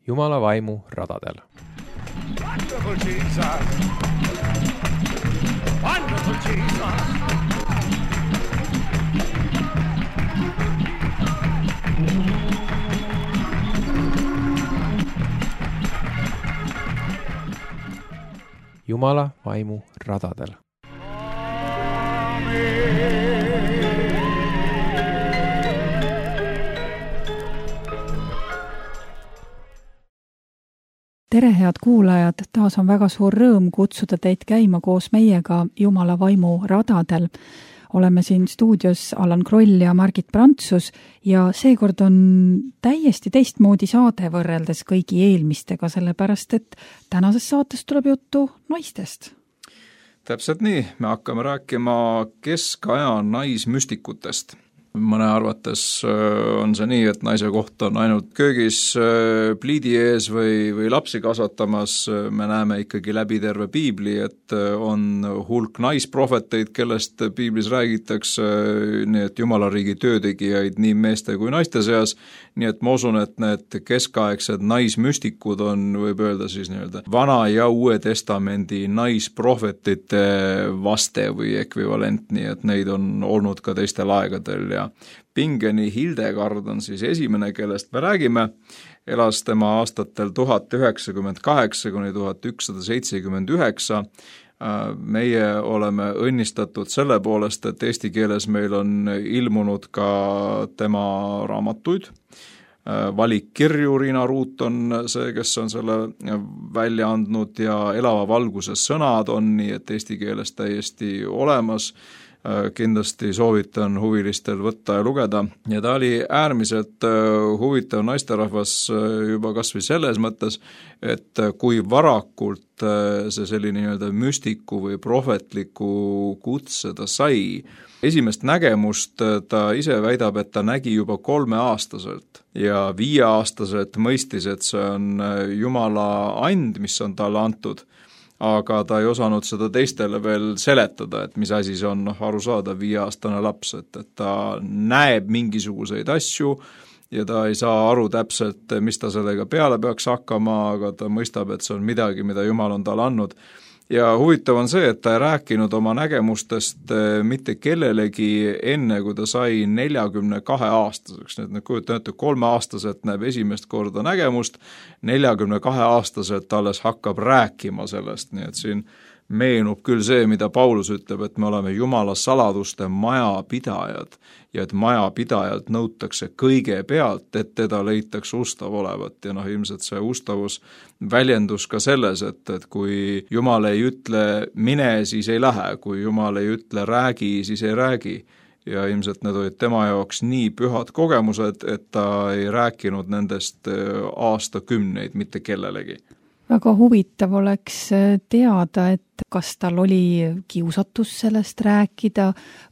Jumala vaimu radadel. Wonderful Jesus. Wonderful Jesus. Jumala vaimu radadel. Tere, head kuulajad! Taas on väga suur rõõm kutsuda teid käima koos meiega Jumala vaimu radadel. Oleme siin stuudios Allan Kroll ja Margit Prantsus ja seekord on täiesti teistmoodi saade võrreldes kõigi eelmistega, sellepärast et tänases saates tuleb juttu naistest. Täpselt nii, me hakkame rääkima keskaja naismüstikutest. Mõne arvates on see nii, et naise koht on ainult köögis pliidi ees või lapsi kasvatamas. Me näeme ikkagi läbi terve piibli, et on hulk naisprohveteid, kellest piiblis räägitakse, nii et Jumala riigi töötegijaid nii meeste kui naiste seas. Nii et ma usun, et need keskaegsed naismüstikud on, võib öelda siis nii-öelda Vana ja Uue Testamendi naisprohvetite vaste või ekvivalent, nii et neid on olnud ka teistel aegadel ja Pingeni Hildegard on siis esimene, kellest me räägime. Elas tema aastatel 1098 kuni 1179. Meie oleme õnnistatud selle poolest, et eesti keeles meil on ilmunud ka tema raamatuid. Valikkirju Riina Ruut on see, kes on selle välja andnud ja Elava valguse sõnad on nii, et eesti keeles täiesti olemas. Kindlasti soovitan huvilistel võtta ja lugeda. Ja ta oli äärmiselt huvitav naisterahvas juba kas või selles mõttes, et kui varakult see selline nii-öelda müstiku või prohvetliku kutse ta sai. Esimest nägemust ta ise väidab, et ta nägi juba 3-aastaselt ja 5-aastaselt mõistis, et see on Jumala and, mis on talle antud. Aga ta ei osanud seda teistele veel seletada, et mis asi see on, aru saada 5-aastane laps, et ta näeb mingisuguseid asju ja ta ei saa aru täpselt, mis ta sellega peale peaks hakkama, aga ta mõistab, et see on midagi, mida Jumal on talle andnud. Ja huvitav on see, et ta ei rääkinud oma nägemustest mitte kellelegi enne, kui ta sai 42-aastaseks. Nüüd kujutate, 3-aastaselt näeb esimest korda nägemust, 42-aastaselt alles hakkab rääkima sellest, nii et siin meenub küll see, mida Paulus ütleb, et me oleme Jumala saladuste majapidajad ja et majapidajalt nõutakse kõigepealt, et teda leitakse ustav olevat ja ilmselt see ustavus väljendus ka selles, et kui Jumal ei ütle mine, siis ei lähe, kui Jumal ei ütle räägi, siis ei räägi ja ilmselt need olid tema jaoks nii pühad kogemused, et ta ei rääkinud nendest aastakümneid mitte kellelegi. Väga huvitav oleks teada, et kas tal oli kiusatus sellest rääkida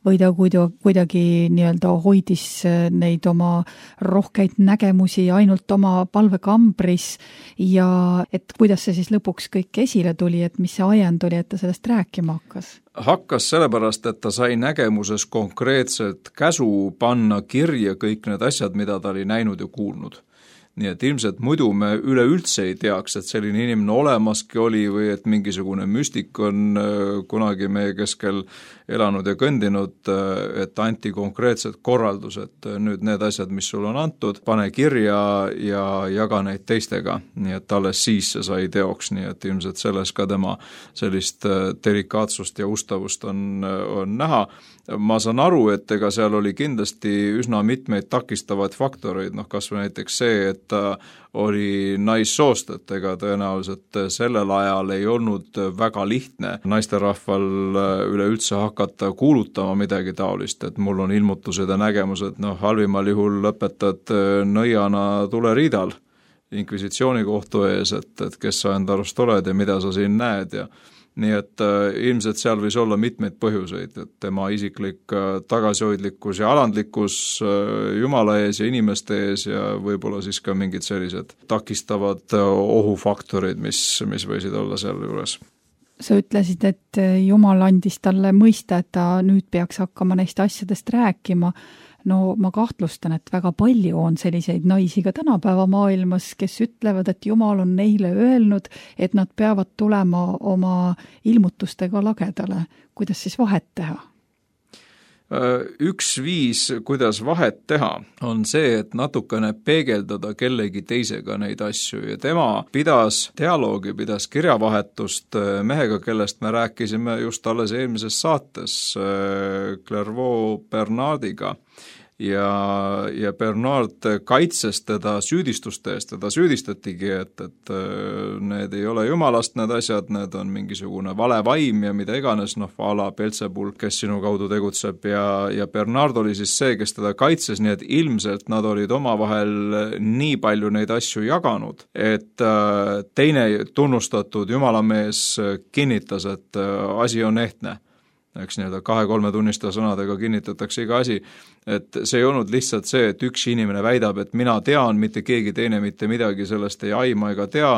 või ta kuidagi nii-öelda hoidis neid oma rohkeid nägemusi ainult oma palvekambris ja et kuidas see siis lõpuks kõik esile tuli, et mis see ajend oli, et ta sellest rääkima hakkas? Hakkas sellepärast, et ta sai nägemuses konkreetselt käsu panna kirja kõik need asjad, mida ta oli näinud ja kuulnud. Nii et ilmselt muidu me üleüldse ei teaks, et selline inimene olemaski oli või et mingisugune müstik on kunagi meie keskel elanud ja kõndinud, et anti konkreetsed korraldused. Nüüd need asjad, mis sul on antud, pane kirja ja jaga neid teistega. Nii et alles siis see sai teoks, nii et ilmselt selles ka tema sellist delikaatsust ja ustavust on näha. Ma saan aru, et ega seal oli kindlasti üsna mitmeid takistavaid faktoreid, kas või näiteks see, et ta oli naissoost, et ega tõenäoliselt sellel ajal ei olnud väga lihtne naisterahval üleüldse hakata kuulutama midagi taolist, et mul on ilmutused ja nägemused, halvimal juhul lõpetad nõiana tuleriidal inkvisitsiooni kohtu ees, et kes sa enda arust oled ja mida sa siin näed ja nii et ilmselt seal võis olla mitmeid põhjuseid, et tema isiklik tagasihoidlikkus ja alandlikkus Jumala ees ja inimeste ees ja võib-olla siis ka mingid sellised takistavad ohufaktorid, mis võisid olla seal juures. Sa ütlesid, et Jumal andis talle mõista, et ta nüüd peaks hakkama neist asjadest rääkima. no ma kahtlustan, et väga palju on selliseid naisi ka tänapäeva maailmas, kes ütlevad, et Jumal on neile öelnud, et nad peavad tulema oma ilmutustega lagedale. Kuidas siis vahet teha? Üks viis, kuidas vahet teha, on see, et natukene peegeldada kellegi teisega neid asju ja tema pidas dialoogi, pidas kirjavahetust mehega, kellest me rääkisime just alles eelmises saates Clairvaux Bernardiga. Ja Bernard kaitses teda süüdistuste eest, teda süüdistatigi, et need ei ole jumalast need asjad, need on mingisugune vale vaim ja mida iganes, a la Belzebul, kes sinu kaudu tegutseb ja Bernard oli siis see, kes teda kaitses, nii et ilmselt nad olid omavahel nii palju neid asju jaganud, et teine tunnustatud jumalamees kinnitas, et asi on ehtne. Eks 2-3 tunnistaja sõnadega kinnitatakse iga asi, et see ei olnud lihtsalt see, et üks inimene väidab, et mina tean, mitte keegi teine mitte midagi sellest ei aima ega tea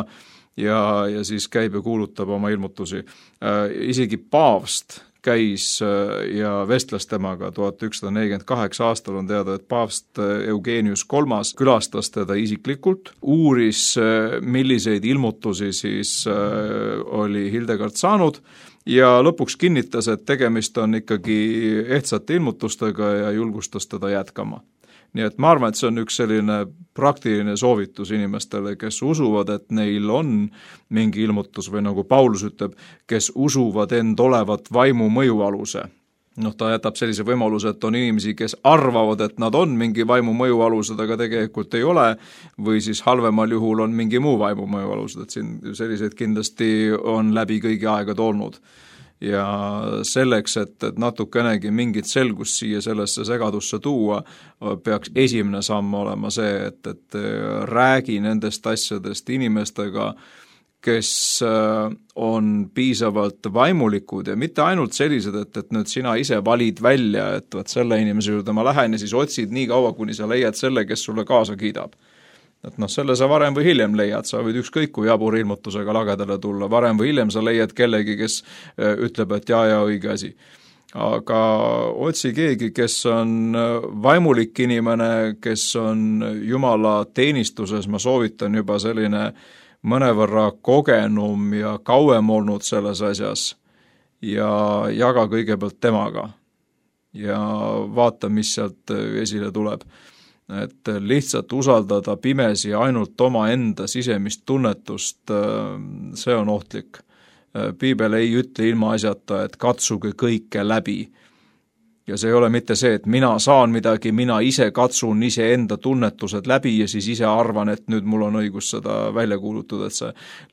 ja siis käib ja kuulutab oma ilmutusi. Isegi paavst käis ja vestles temaga 1148 aastal on teada, et paavst Eugenius III külastas teda isiklikult, uuris, milliseid ilmutusi siis oli Hildegard saanud ja lõpuks kinnitas, et tegemist on ikkagi ehtsate ilmutustega ja julgustas teda jätkama. Nii et ma arvan, et see on üks selline praktiline soovitus inimestele, kes usuvad, et neil on mingi ilmutus või nagu Paulus ütleb, kes usuvad end olevat vaimu mõjualuse. Ta jätab sellise võimaluse, et on inimesi, kes arvavad, et nad on mingi vaimu mõjualused, aga tegelikult ei ole, või siis halvemal juhul on mingi muu vaimu mõjualused, et siin selliseid kindlasti on läbi kõigi aegade olnud. Ja selleks, et natukenegi mingit selgust siia sellesse segadusse tuua, peaks esimene samm olema see, et räägi nendest asjadest inimestega, kes on piisavalt vaimulikud ja mitte ainult sellised, et nüüd sina ise valid välja, et selle inimese juurde ma lähen ja siis otsid nii kaua, kuni sa leiad selle, kes sulle kaasa kiidab. Et selle sa varem või hiljem leiad, sa võid ükskõik kui jabur ilmutusega lagedale tulla, varem või hiljem sa leiad kellegi, kes ütleb, et ja õige asi. Aga otsi keegi, kes on vaimulik inimene, kes on Jumala teenistuses, ma soovitan juba selline mõnevõrra kogenum ja kauem olnud selles asjas ja jaga kõigepealt temaga ja vaata, mis sealt esile tuleb. Et lihtsalt usaldada pimesi ainult oma enda sisemist tunnetust, see on ohtlik. Piibel ei ütle ilma asjata, et katsuge kõike läbi. Ja see ei ole mitte see, et mina saan midagi, mina ise katsun ise enda tunnetused läbi ja siis ise arvan, et nüüd mul on õigus seda välja kuulutada, et see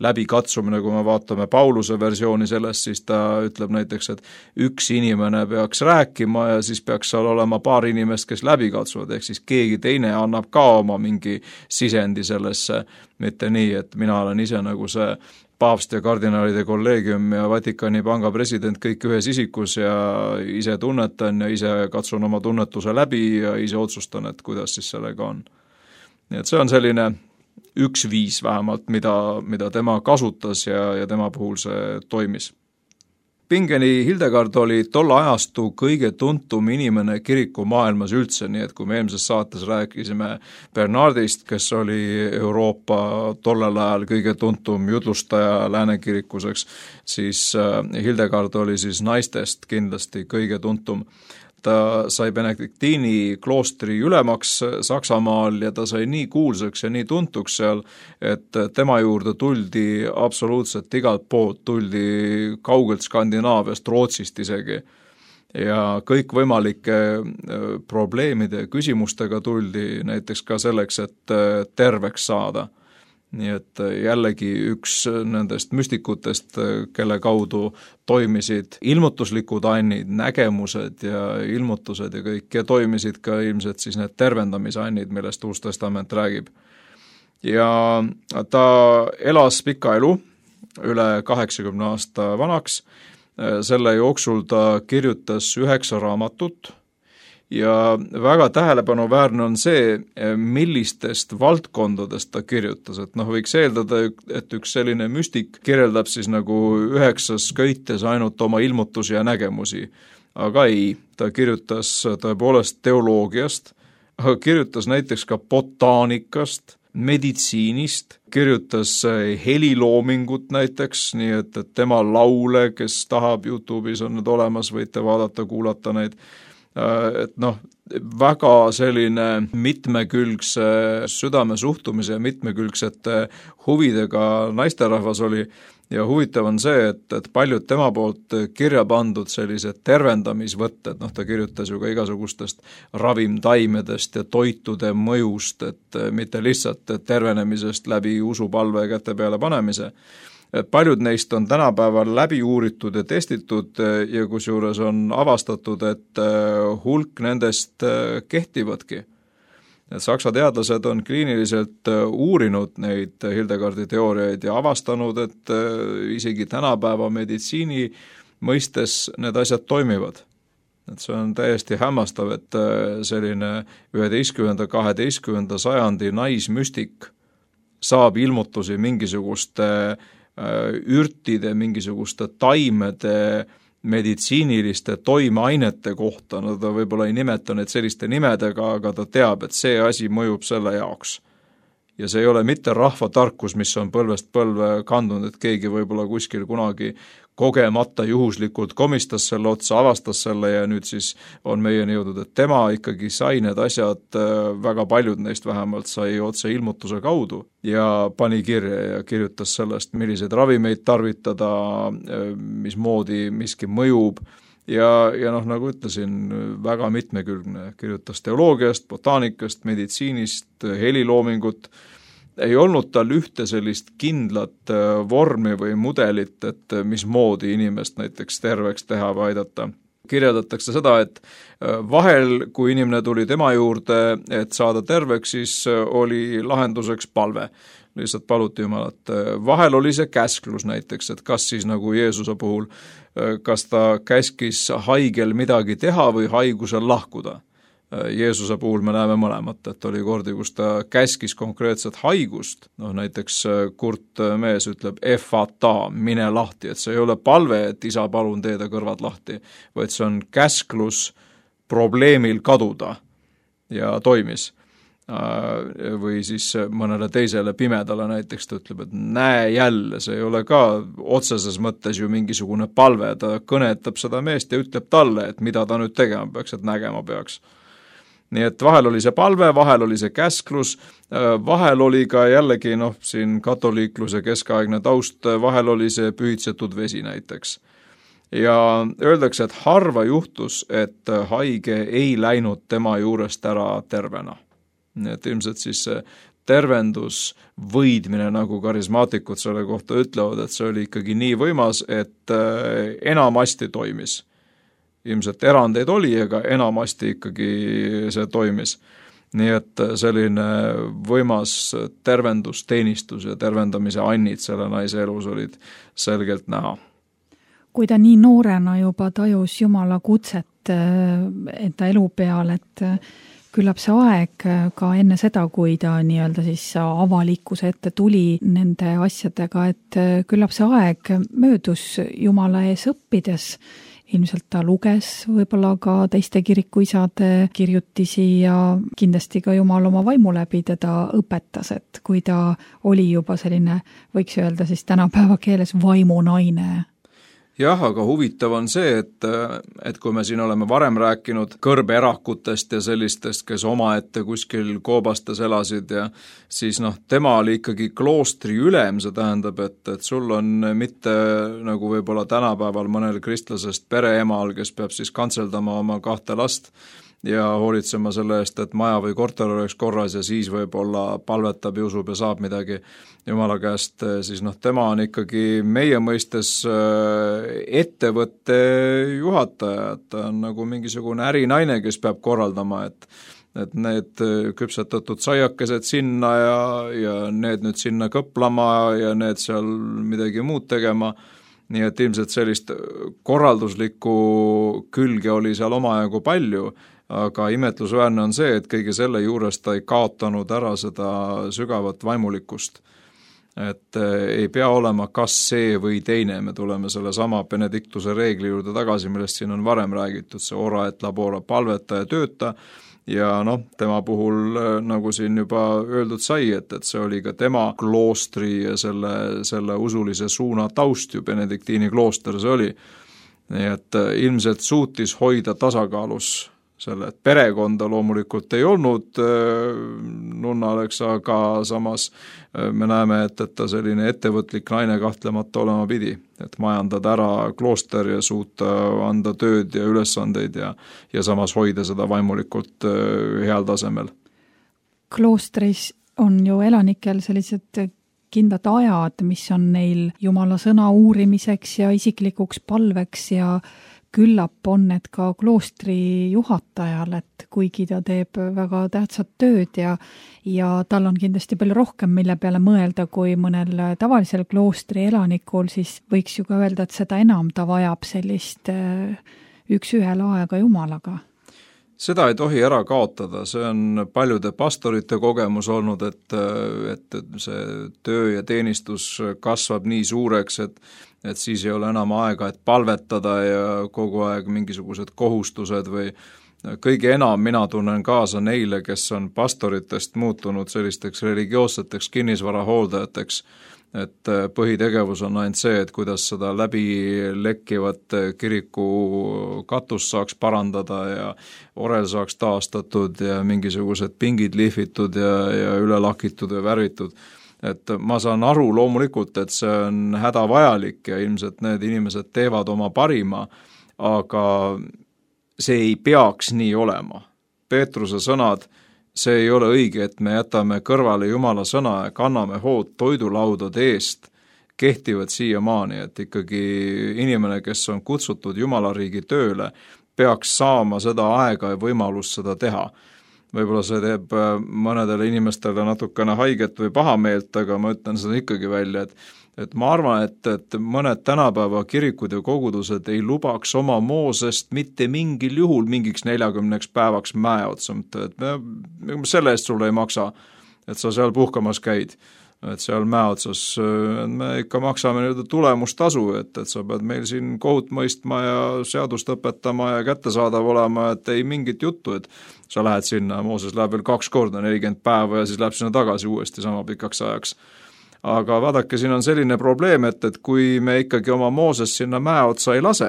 läbikatsumine, kui me vaatame Pauluse versiooni sellest, siis ta ütleb näiteks, et üks inimene peaks rääkima ja siis peaks seal olema paar inimest, kes läbi katsuvad, ehk siis keegi teine annab ka oma mingi sisendi sellesse, mitte nii, et mina olen ise nagu see paavst ja kardinaalide kolleegium ja Vatikani panga president kõik ühes isikus ja ise tunnetan ja ise katsun oma tunnetuse läbi ja ise otsustan, et kuidas siis sellega on. Nii et see on selline üks viis vähemalt, mida tema kasutas ja tema puhul see toimis. Pingeni Hildegard oli tolle ajastu kõige tuntum inimene kiriku maailmas üldse, nii et kui me eelmises saates rääkisime Bernardist, kes oli Euroopa tollel ajal kõige tuntum jutlustaja läänekirikuseks, siis Hildegard oli siis naistest kindlasti kõige tuntum. Ta sai Benediktiini kloostri ülemaks Saksamaal ja ta sai nii kuulsaks ja nii tuntuks seal, et tema juurde tuldi absoluutselt igalt poolt, tuldi kaugelt Skandinaaviast, Rootsist isegi. Ja kõik võimalike probleemide ja küsimustega tuldi näiteks ka selleks, et terveks saada. Nii et jällegi üks nendest müstikutest, kelle kaudu toimisid ilmutuslikud annid, nägemused ja ilmutused ja kõik, ja toimisid ka ilmselt siis need tervendamisannid, millest Uus Testament räägib. Ja ta elas pika elu, üle 80 aasta vanaks, selle jooksul ta kirjutas 9 raamatut ja väga tähelepanuväärne on see, millistest valdkondadest ta kirjutas, et võiks eeldada, et üks selline müstik kirjeldab siis nagu 9 köites ainult oma ilmutusi ja nägemusi, aga ei, ta kirjutas tõepoolest teoloogiast, aga kirjutas näiteks ka botaanikast, meditsiinist, kirjutas heliloomingut näiteks, nii et tema laule, kes tahab, YouTube'is on need olemas, võite vaadata, kuulata neid, et väga selline mitmekülgse südamesuhtumise ja mitmekülgsete huvidega naisterahvas oli ja huvitav on see, et paljud tema poolt kirja pandud sellised tervendamisvõtted, ta kirjutas ju ka igasugustest ravimtaimedest ja toitude mõjust, et mitte lihtsalt tervenemisest läbi usupalve käte peale panemise. Paljud neist on tänapäeval läbi uuritud ja testitud ja kusjuures on avastatud, et hulk nendest kehtivadki. Saksa teadlased on kliiniliselt uurinud neid Hildegardi teooriaid ja avastanud, et isegi tänapäeva meditsiini mõistes need asjad toimivad. Et see on täiesti hämmastav, et selline 11.–12. sajandi naismüstik saab ilmutusi mingisuguste ürtide, mingisuguste taimede, meditsiiniliste toimeainete kohta, ta võib-olla ei nimeta neid selliste nimedega, aga ta teab, et see asi mõjub selle jaoks. Ja see ei ole mitte rahvatarkus, mis on põlvest põlve kandunud, et keegi võib-olla kuskil kunagi kogemata juhuslikult komistas selle otsa, avastas selle ja nüüd siis on meieni jõudnud, et tema ikkagi sai need asjad, väga paljud neist vähemalt sai otse ilmutuse kaudu ja pani kirja ja kirjutas sellest, milliseid ravimeid tarvitada, mismoodi miski mõjub ja nagu ütlesin, väga mitmekülgne, kirjutas teoloogiast, botaanikast, meditsiinist, heliloomingut, ei olnud tal ühte sellist kindlat vormi või mudelit, et mismoodi inimest näiteks terveks teha või aidata. Kirjeldatakse seda, et vahel, kui inimene tuli tema juurde, et saada terveks, siis oli lahenduseks palve. Lihtsalt paluti Jumalat. Vahel oli see käsklus näiteks, et kas siis nagu Jeesuse puhul, kas ta käskis haigel midagi teha või haigusel lahkuda. Jeesuse puhul me näeme mõlemat, et oli kordi, kus ta käskis konkreetset haigust, näiteks kurt mees ütleb efata, mine lahti, et see ei ole palve, et isa palun teeda kõrvad lahti, vaid see on käsklus probleemil kaduda ja toimis. Või siis mõnele teisele pimedale näiteks ta ütleb, et näe jälle, see ei ole ka otseses mõttes ju mingisugune palve, ta kõnetab seda meest ja ütleb talle, et mida ta nüüd tegema peaks, et nägema peaks. Nii et vahel oli see palve, vahel oli see käsklus, vahel oli ka jällegi siin katoliikluse keskaegne taust, vahel oli see pühitsetud vesi näiteks. Ja öeldakse, et harva juhtus, et haige ei läinud tema juurest ära tervena. Nii et ilmselt siis see tervendus võidmine, nagu karismaatikud selle kohta ütlevad, et see oli ikkagi nii võimas, et enamasti toimis. Ilmselt erandeid oli, aga enamasti ikkagi see toimis. Nii et selline võimas tervendusteenistus ja tervendamise annid selle naise elus olid selgelt näha. Kui ta nii noorena juba tajus Jumala kutset enda elu peal, et küllap see aeg ka enne seda, kui ta nii-öelda siis avalikkuse ette tuli nende asjadega, et küllap see aeg möödus Jumala ees õppides. Ilmselt ta luges võib-olla ka teiste kirikuisade kirjutisi ja kindlasti ka Jumal oma vaimu läbi teda õpetas, et kui ta oli juba selline, võiks öelda siis tänapäeva keeles vaimunaine. Jah, aga huvitav on see, et kui me siin oleme varem rääkinud kõrbeerakutest ja sellistest, kes omaette kuskil koobastes elasid ja siis tema oli ikkagi kloostri ülem, see tähendab, et sul on mitte nagu võib-olla tänapäeval mõnel kristlasest pereemal, kes peab siis kantseldama oma 2 last ja hoolitsema selle eest, et maja või korter oleks korras ja siis võib-olla palvetab ja usub ja saab midagi Jumala käest, siis tema on ikkagi meie mõistes ettevõtte juhataja, et ta on nagu mingisugune ärinaine, kes peab korraldama, et need küpsetatud saiakesed sinna ja need nüüd sinna kõplama ja need seal midagi muud tegema. Nii et ilmselt sellist korralduslikku külge oli seal omajagu palju, aga imetlusväärne on see, et kõige selle juures ta ei kaotanud ära seda sügavat vaimulikkust. Et ei pea olema kas see või teine, me tuleme selle sama Benedictuse reegli juurde tagasi, millest siin on varem räägitud, see ora et labora, palveta ja tööta, ja tema puhul, nagu siin juba öeldud sai, et see oli ka tema kloostri ja selle usulise suuna taust ju, Benediktiini klooster see oli. Nii et ilmselt suutis hoida tasakaalus selle, et perekonda loomulikult ei olnud nunnaleks, aga samas me näeme, et ta selline ettevõtlik naine kahtlemata olema pidi, et majandada ära klooster ja suuta anda tööd ja ülesandeid ja samas hoida seda vaimulikult heal tasemel. Kloostris on ju elanikel sellised kindlad ajad, mis on neil Jumala sõna uurimiseks ja isiklikuks palveks ja küllap on need ka kloostri juhatajal, et kuigi ta teeb väga tähtsat tööd ja tal on kindlasti palju rohkem, mille peale mõelda kui mõnel tavalisel kloostri elanikul, siis võiks ju ka öelda, et seda enam ta vajab sellist üks-ühele aega Jumalaga. Seda ei tohi ära kaotada, see on paljude pastorite kogemus olnud, et see töö ja teenistus kasvab nii suureks, et siis ei ole enam aega, et palvetada ja kogu aeg mingisugused kohustused või kõige enam mina tunnen kaasa neile, kes on pastoritest muutunud sellisteks religioosseteks kinnisvara hooldajateks, et põhitegevus on ainult see, et kuidas seda läbi lekkivat kiriku katust saaks parandada ja orel saaks taastatud ja mingisugused pingid lihvitud ja üle lakitud ja värvitud. Et ma saan aru loomulikult, et see on hädavajalik ja ilmselt need inimesed teevad oma parima, aga see ei peaks nii olema. Peetruse sõnad, see ei ole õige, et me jätame kõrvale Jumala sõna ja kanname hood toidulaudade eest, kehtivad siiamaani, et ikkagi inimene, kes on kutsutud Jumala riigi tööle, peaks saama seda aega ja võimalust seda teha. Võib-olla see teeb mõnedele inimestele natukene haiget või pahameelt, aga ma ütlen seda ikkagi välja, et ma arvan, et mõned tänapäeva kirikud ja kogudused ei lubaks oma Moosest mitte mingil juhul mingiks 40 päevaks mäe otsa, et me selle eest sulle ei maksa, et sa seal puhkamas käid, et seal mäe otsas me ikka maksame tulemustasu, et sa pead meil siin kohut mõistma ja seadust õpetama ja kättesaadav olema, et ei mingit juttu, et sa lähed sinna, Mooses läheb veel 2 korda 40 päeva ja siis läheb sinna tagasi uuesti sama pikaks ajaks. Aga vaadake, siin on selline probleem, et kui me ikkagi oma Mooses sinna mäe otsa ei lase,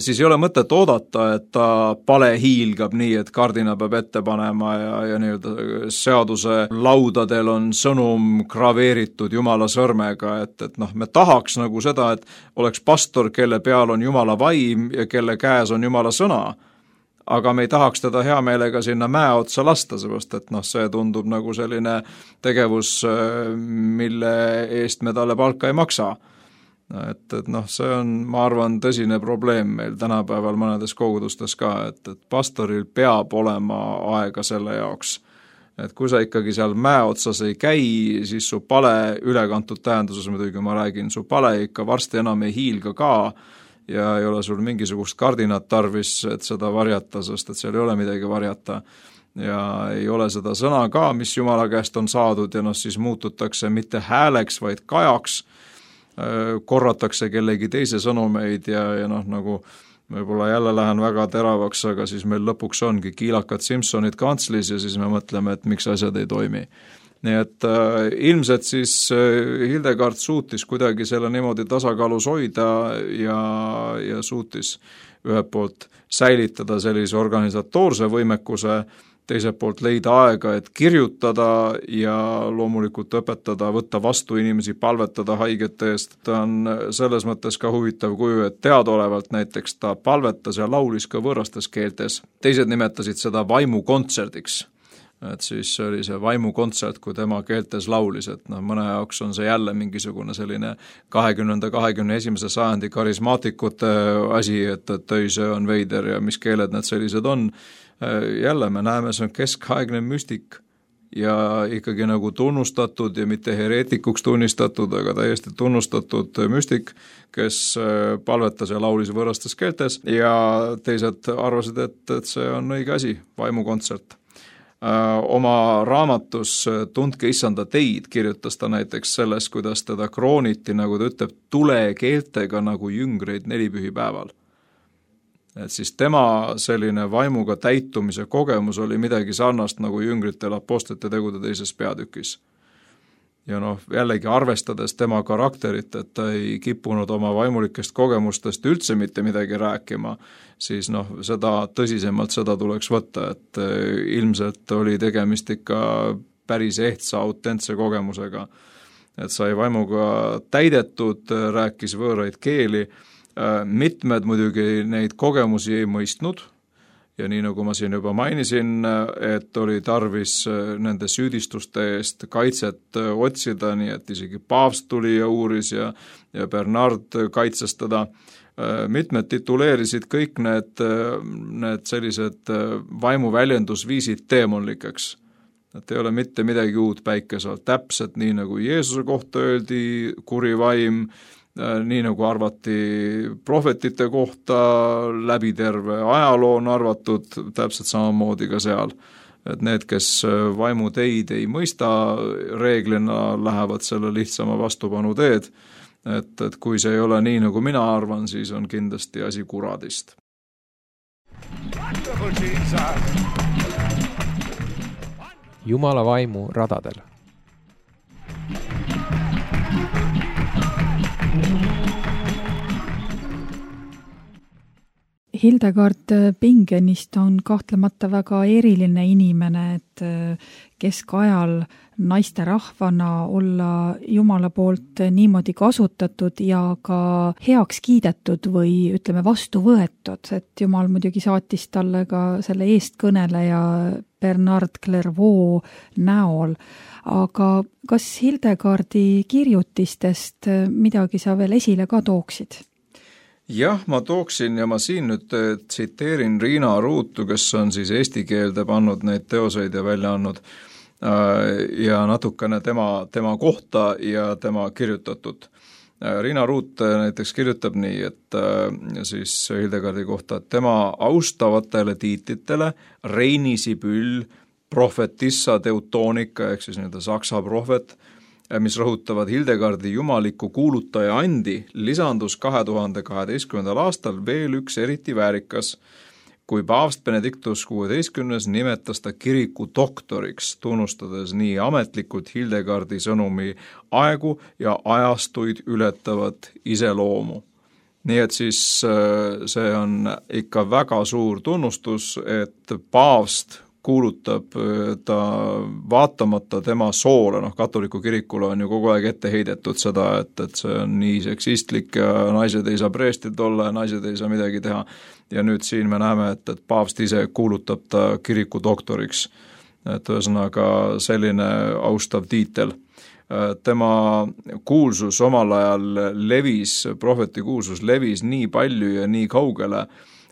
siis ei ole mõtet oodata, et ta pale hiilgab nii, et kardina peab ette panema ja nii-öelda seaduse laudadel on sõnum graveeritud Jumala sõrmega, et me tahaks nagu seda, et oleks pastor, kelle peal on Jumala vaim ja kelle käes on Jumala sõna, aga me ei tahaks teda hea meelega sinna mäe otsa lasta, seepärast et see tundub nagu selline tegevus, mille eest me talle palka ei maksa. Et see on, ma arvan, tõsine probleem meil tänapäeval mõnedes kogudustes ka, et pastoril peab olema aega selle jaoks. Et kui sa ikkagi seal mäe otsas ei käi, siis su pale ülekantud tähenduses, muidugi ma räägin, su pale ikka varsti enam ei hiilga ka, ja ei ole sul mingisugust kardinat tarvis, et seda varjata, sest et seal ei ole midagi varjata. Ja ei ole seda sõna ka, mis Jumala käest on saadud ja siis muututakse mitte hääleks, vaid kajaks, korratakse kellegi teise sõnumeid ja nagu võib-olla jälle lähen väga teravaks, aga siis meil lõpuks ongi kiilakad Simpsonid kantslis ja siis me mõtleme, et miks asjad ei toimi. Nii et ilmselt siis Hildegard suutis kuidagi selle niimoodi tasakaalus hoida ja suutis ühelt poolt säilitada sellise organisatoorse võimekuse, teiselt poolt leida aega, et kirjutada ja loomulikult õpetada, võtta vastu inimesi, palvetada haigete eest. Ta on selles mõttes ka huvitav kuju, et teadaolevalt näiteks ta palvetas ja laulis ka võõrastes keeltes. Teised nimetasid seda vaimukontserdiks. Et siis oli see vaimukontsert, kui tema keeltes laulis, et mõne jaoks on see jälle mingisugune selline 20. 21. sajandi karismaatikute asi, et see on veider ja mis keeled need sellised on. Jälle me näeme, see on keskaegne müstik ja ikkagi nagu tunnustatud ja mitte hereetikuks tunnistatud, aga täiesti tunnustatud müstik, kes palvetas ja laulis võõrastes keeltes ja teised arvasid, et see on õige asi, vaimukontsert. Oma raamatus Tundke issanda teid kirjutas ta näiteks sellest, kuidas teda krooniti, nagu ta ütleb, tulekeeltega nagu jüngreid nelipühipäeval. Et siis tema selline vaimuga täitumise kogemus oli midagi sarnast nagu jüngritel apostlite tegude 2. peatükis. Ja jällegi arvestades tema karakterit, et ta ei kippunud oma vaimulikest kogemustest üldse mitte midagi rääkima, siis seda tõsisemalt seda tuleks võtta, et ilmselt oli tegemist ikka päris ehtsa, autentse kogemusega. Et sai vaimuga täidetud, rääkis võõraid keeli, mitmed muidugi neid kogemusi ei mõistnud ja nii nagu ma siin juba mainisin, et oli tarvis nende süüdistuste eest kaitset otsida, nii et isegi paavst tuli ja uuris ja Bernard kaitses teda. Mitmed tituleerisid kõik need sellised vaimuväljendusviisid teemonlikeks. Et ei ole mitte midagi uut päikesel, täpselt nii nagu Jeesuse kohta öeldi, kuri vaim, nii nagu arvati prohvetite kohta, läbi terve ajaloo on arvatud, täpselt samamoodi ka seal. Et need, kes vaimu teid ei mõista, reeglina lähevad selle lihtsama vastupanu teed. Et kui see ei ole nii, nagu mina arvan, siis on kindlasti asi kuradist. Jumala vaimu radadel. Hildegard Bingenist on kahtlemata väga eriline inimene, et keskajal naisterahvana olla Jumala poolt niimoodi kasutatud ja ka heaks kiidetud või ütleme vastu võetud, et Jumal muidugi saatis talle ka selle eestkõneleja Bernard Clairvaux näol. Aga kas Hildegardi kirjutistest midagi sa veel esile ka tooksid? Jah, ma tooksin ja ma siin nüüd tsiteerin Riina Ruutu, kes on siis eesti keelde pannud neid teoseid ja välja andnud ja natukene tema kohta ja tema kirjutatud. Riina Ruut näiteks kirjutab nii, et siis Hildegardi kohta, et tema austavatele tiitlitele Reini Sibyll, prohvetissa Teutonika ehk siis saksa prohvet, mis rõhutavad Hildegardi jumaliku kuulutaja andi, lisandus 2012. aastal veel üks eriti väärikas, kui paavst Benedictus XVI nimetas ta kiriku doktoriks, tunnustades nii ametlikult Hildegardi sõnumi aegu ja ajastuid ületavat iseloomu. Nii et siis see on ikka väga suur tunnustus, et paavst kuulutab ta vaatamata tema soole, katoliku kirikule on ju kogu aeg ette heidetud seda, et see on nii seksistlik ja naised ei saa preestrid olla ja naised ei saa midagi teha. Ja nüüd siin me näeme, et paavst ise kuulutab ta kiriku doktoriks. Et ühesõnaga selline austav tiitel. Tema kuulsus omal ajal levis, prohveti kuulsus levis nii palju ja nii kaugele,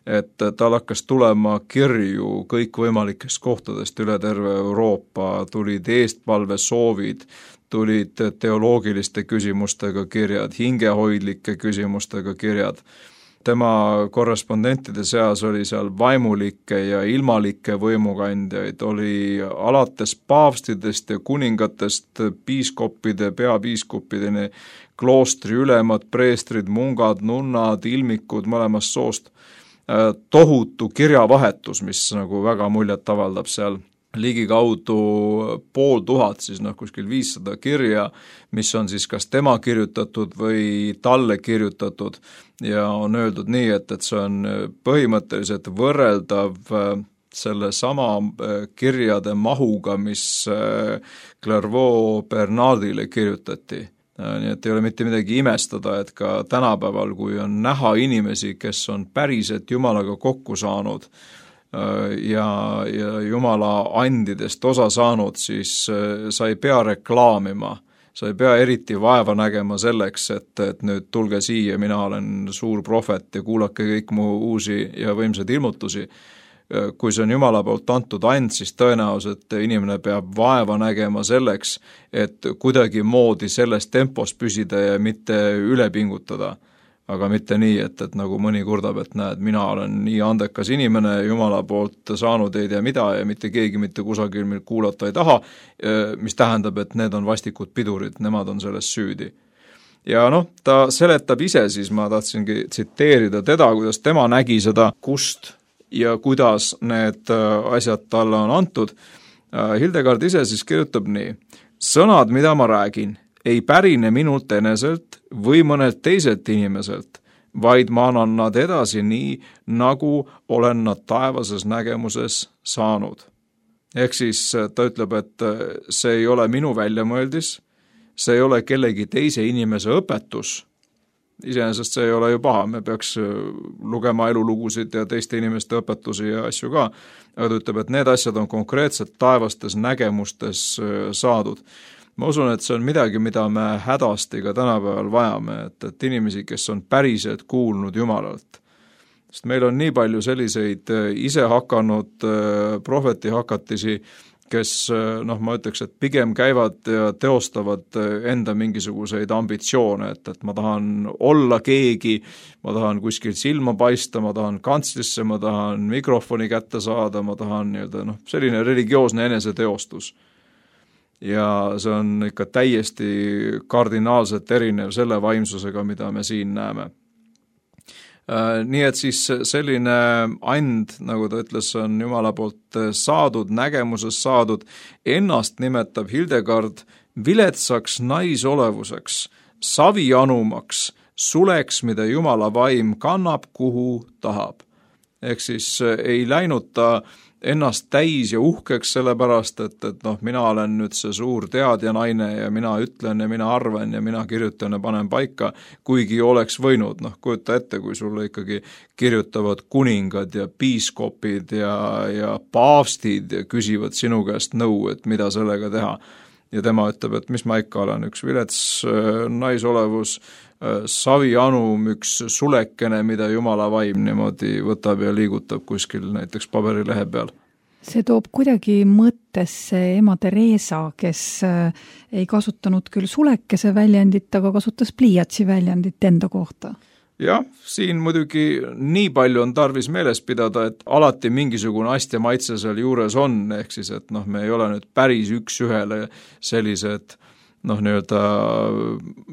et tal hakkas tulema kirju kõikvõimalikest kohtadest üle terve Euroopa, tulid eestpalve soovid, tulid teoloogiliste küsimustega kirjad, hingehoidlike küsimustega kirjad. Tema korrespondentide seas oli seal vaimulikke ja ilmalikke võimukandjaid, oli alates paavstidest ja kuningatest piiskoppide, peapiiskoppideni, kloostri ülemad, preestrid, mungad, nunnad, ilmikud mõlemast soost. Tohutu kirjavahetus, mis nagu väga muljet avaldab seal, ligikaudu 500, siis kuskil 500 kirja, mis on siis kas tema kirjutatud või talle kirjutatud ja on öeldud nii, et see on põhimõtteliselt võrreldav selle sama kirjade mahuga, mis Clairvaux Bernardile kirjutati. Nii et ei ole mitte midagi imestada, et ka tänapäeval, kui on näha inimesi, kes on päriselt Jumalaga kokku saanud ja Jumala andidest osa saanud, siis sa ei pea reklaamima, sa ei pea eriti vaeva nägema selleks, et nüüd tulge siia, mina olen suur prohvet ja kuulake kõik mu uusi ja võimsaid ilmutusi. kui see on Jumala poolt antud and, siis tõenäoliselt inimene peab vaeva nägema selleks, et kuidagimoodi selles tempos püsida ja mitte üle pingutada. Aga mitte nii, et nagu mõni kurdab, et näed, mina olen nii andekas inimene, Jumala poolt saanud ei tea mida ja mitte keegi mitte kusagil mind kuulata ei taha, mis tähendab, et need on vastikud pidurid, nemad on selles süüdi. Ja ta seletab ise, siis ma tahtsingi tsiteerida teda, kuidas tema nägi seda, kust ja kuidas need asjad talle on antud. Hildegard ise siis kirjutab nii: sõnad, mida ma räägin, ei pärine minult eneselt või mõnelt teiselt inimeselt, vaid ma annan nad edasi nii, nagu olen nad taevases nägemuses saanud. Ehk siis ta ütleb, et see ei ole minu väljamõeldis, see ei ole kellegi teise inimese õpetus. Iseenesest see ei ole ju paha, me peaks lugema elulugusid ja teiste inimeste õpetusi ja asju ka, aga ta ütleb, et need asjad on konkreetselt taevastes nägemustes saadud. Ma usun, et see on midagi, mida me hädasti ka tänapäeval vajame, et inimesi, kes on päriselt kuulnud Jumalalt. Sest meil on nii palju selliseid ise hakanud prohvetihakatisi, kes, ma ütleks, et pigem käivad ja teostavad enda mingisuguseid ambitsioone, et ma tahan olla keegi, ma tahan kuskil silma paista, ma tahan kantslisse, ma tahan mikrofoni kätte saada, ma tahan selline religioosne eneseteostus. Ja see on ikka täiesti kardinaalselt erinev selle vaimsusega, mida me siin näeme. Nii et siis selline and, nagu ta ütles, on Jumala poolt saadud, nägemuses saadud, ennast nimetab Hildegard viletsaks naisolevuseks, savianumaks, suleks, mida Jumala vaim kannab, kuhu tahab. Ehk siis ei läinud ta ennast täis ja uhkeks sellepärast, et mina olen nüüd see suur teadja naine ja mina ütlen ja mina arvan ja mina kirjutan ja panen paika, kuigi oleks võinud, kujuta ette, kui sulle ikkagi kirjutavad kuningad ja piiskopid ja paavstid ja küsivad sinu käest nõu, et mida sellega teha. Ja tema ütleb, et mis ma ikka olen, üks vilets naisolevus, savianum, üks sulekene, mida Jumala vaim niimoodi võtab ja liigutab kuskil näiteks paberilehe peal. See toob kuidagi mõttesse ema Teresa, kes ei kasutanud küll sulekese väljendit, aga kasutas pliiatsi väljendit enda kohta. Jah, siin muidugi nii palju on tarvis meeles pidada, et alati mingisugune astja maitse seal juures on, ehk siis, et me ei ole nüüd päris üks ühele sellised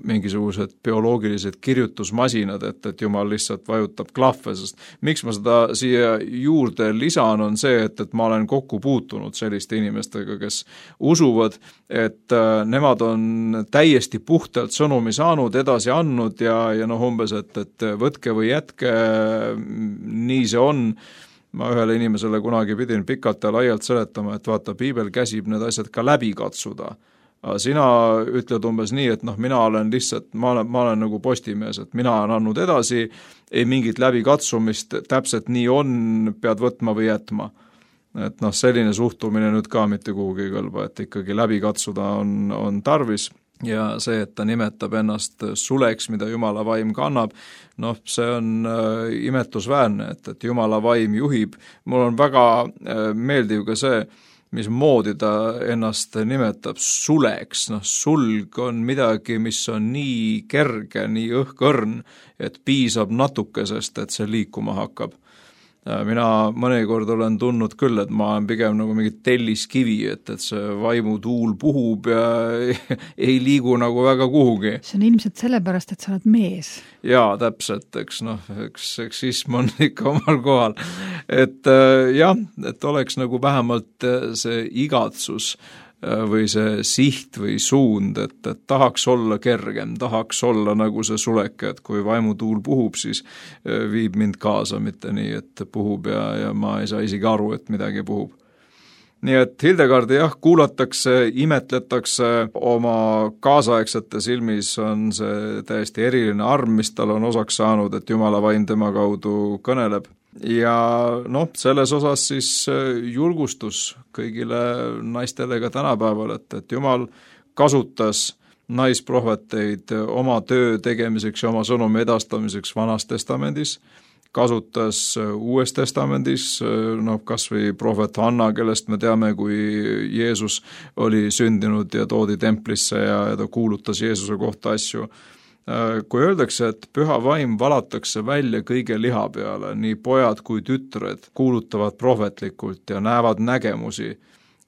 mingisugused bioloogilised kirjutusmasinad, et Jumal lihtsalt vajutab klahve, sest miks ma seda siia juurde lisan, on see, et ma olen kokku puutunud selliste inimestega, kes usuvad, et nemad on täiesti puhtalt sõnumi saanud, edasi andnud ja umbes, et võtke või jätke, nii see on. Ma ühele inimesele kunagi pidin pikalt ja laialt seletama, et vaata, piibel käsib need asjad ka läbi katsuda. Sina ütled umbes nii, et mina olen lihtsalt, ma olen nagu postimees, et mina olen andnud edasi, ei mingit läbikatsumist, täpselt nii on, pead võtma või jätma. Et selline suhtumine nüüd ka mitte kuhugi kõlba, et ikkagi läbi katsuda on tarvis ja see, et ta nimetab ennast suleks, mida Jumala vaim kannab, see on imetlusväärne, et Jumala vaim juhib. Mul on väga meeldiv ka see, mismoodi ta ennast nimetab suleks, sulg on midagi, mis on nii kerge, nii õhkõrn, et piisab natukesest, et see liikuma hakkab. Mina mõnikord olen tundnud küll, et ma olen pigem nagu mingi telliskivi, et see vaimutuul puhub ja ei liigu nagu väga kuhugi. See on ilmselt sellepärast, et sa oled mees. Jaa, täpselt, eks seksism on ikka omal kohal. Et et oleks nagu vähemalt see igatsus või see siht või suund, et tahaks olla kergem, tahaks olla nagu see suleke, et kui vaimutuul puhub, siis viib mind kaasa, mitte nii, et puhub ja ma ei saa isegi aru, et midagi puhub. Nii et Hildegardi kuulatakse, imetletakse, oma kaasaegsete silmis on see täiesti eriline arm, mis tal on osaks saanud, et Jumala vaim tema kaudu kõneleb. Ja selles osas siis julgustus kõigile naistele ka tänapäeval, et Jumal kasutas naisprohveteid oma töö tegemiseks ja oma sõnumi edastamiseks Vanas Testamendis, kasutas Uues Testamendis, kas või prohvet Hanna, kellest me teame, kui Jeesus oli sündinud ja toodi templisse ja ta kuulutas Jeesuse kohta asju. Kui öeldakse, et püha vaim valatakse välja kõige liha peale, nii pojad kui tütred kuulutavad prohvetlikult ja näevad nägemusi,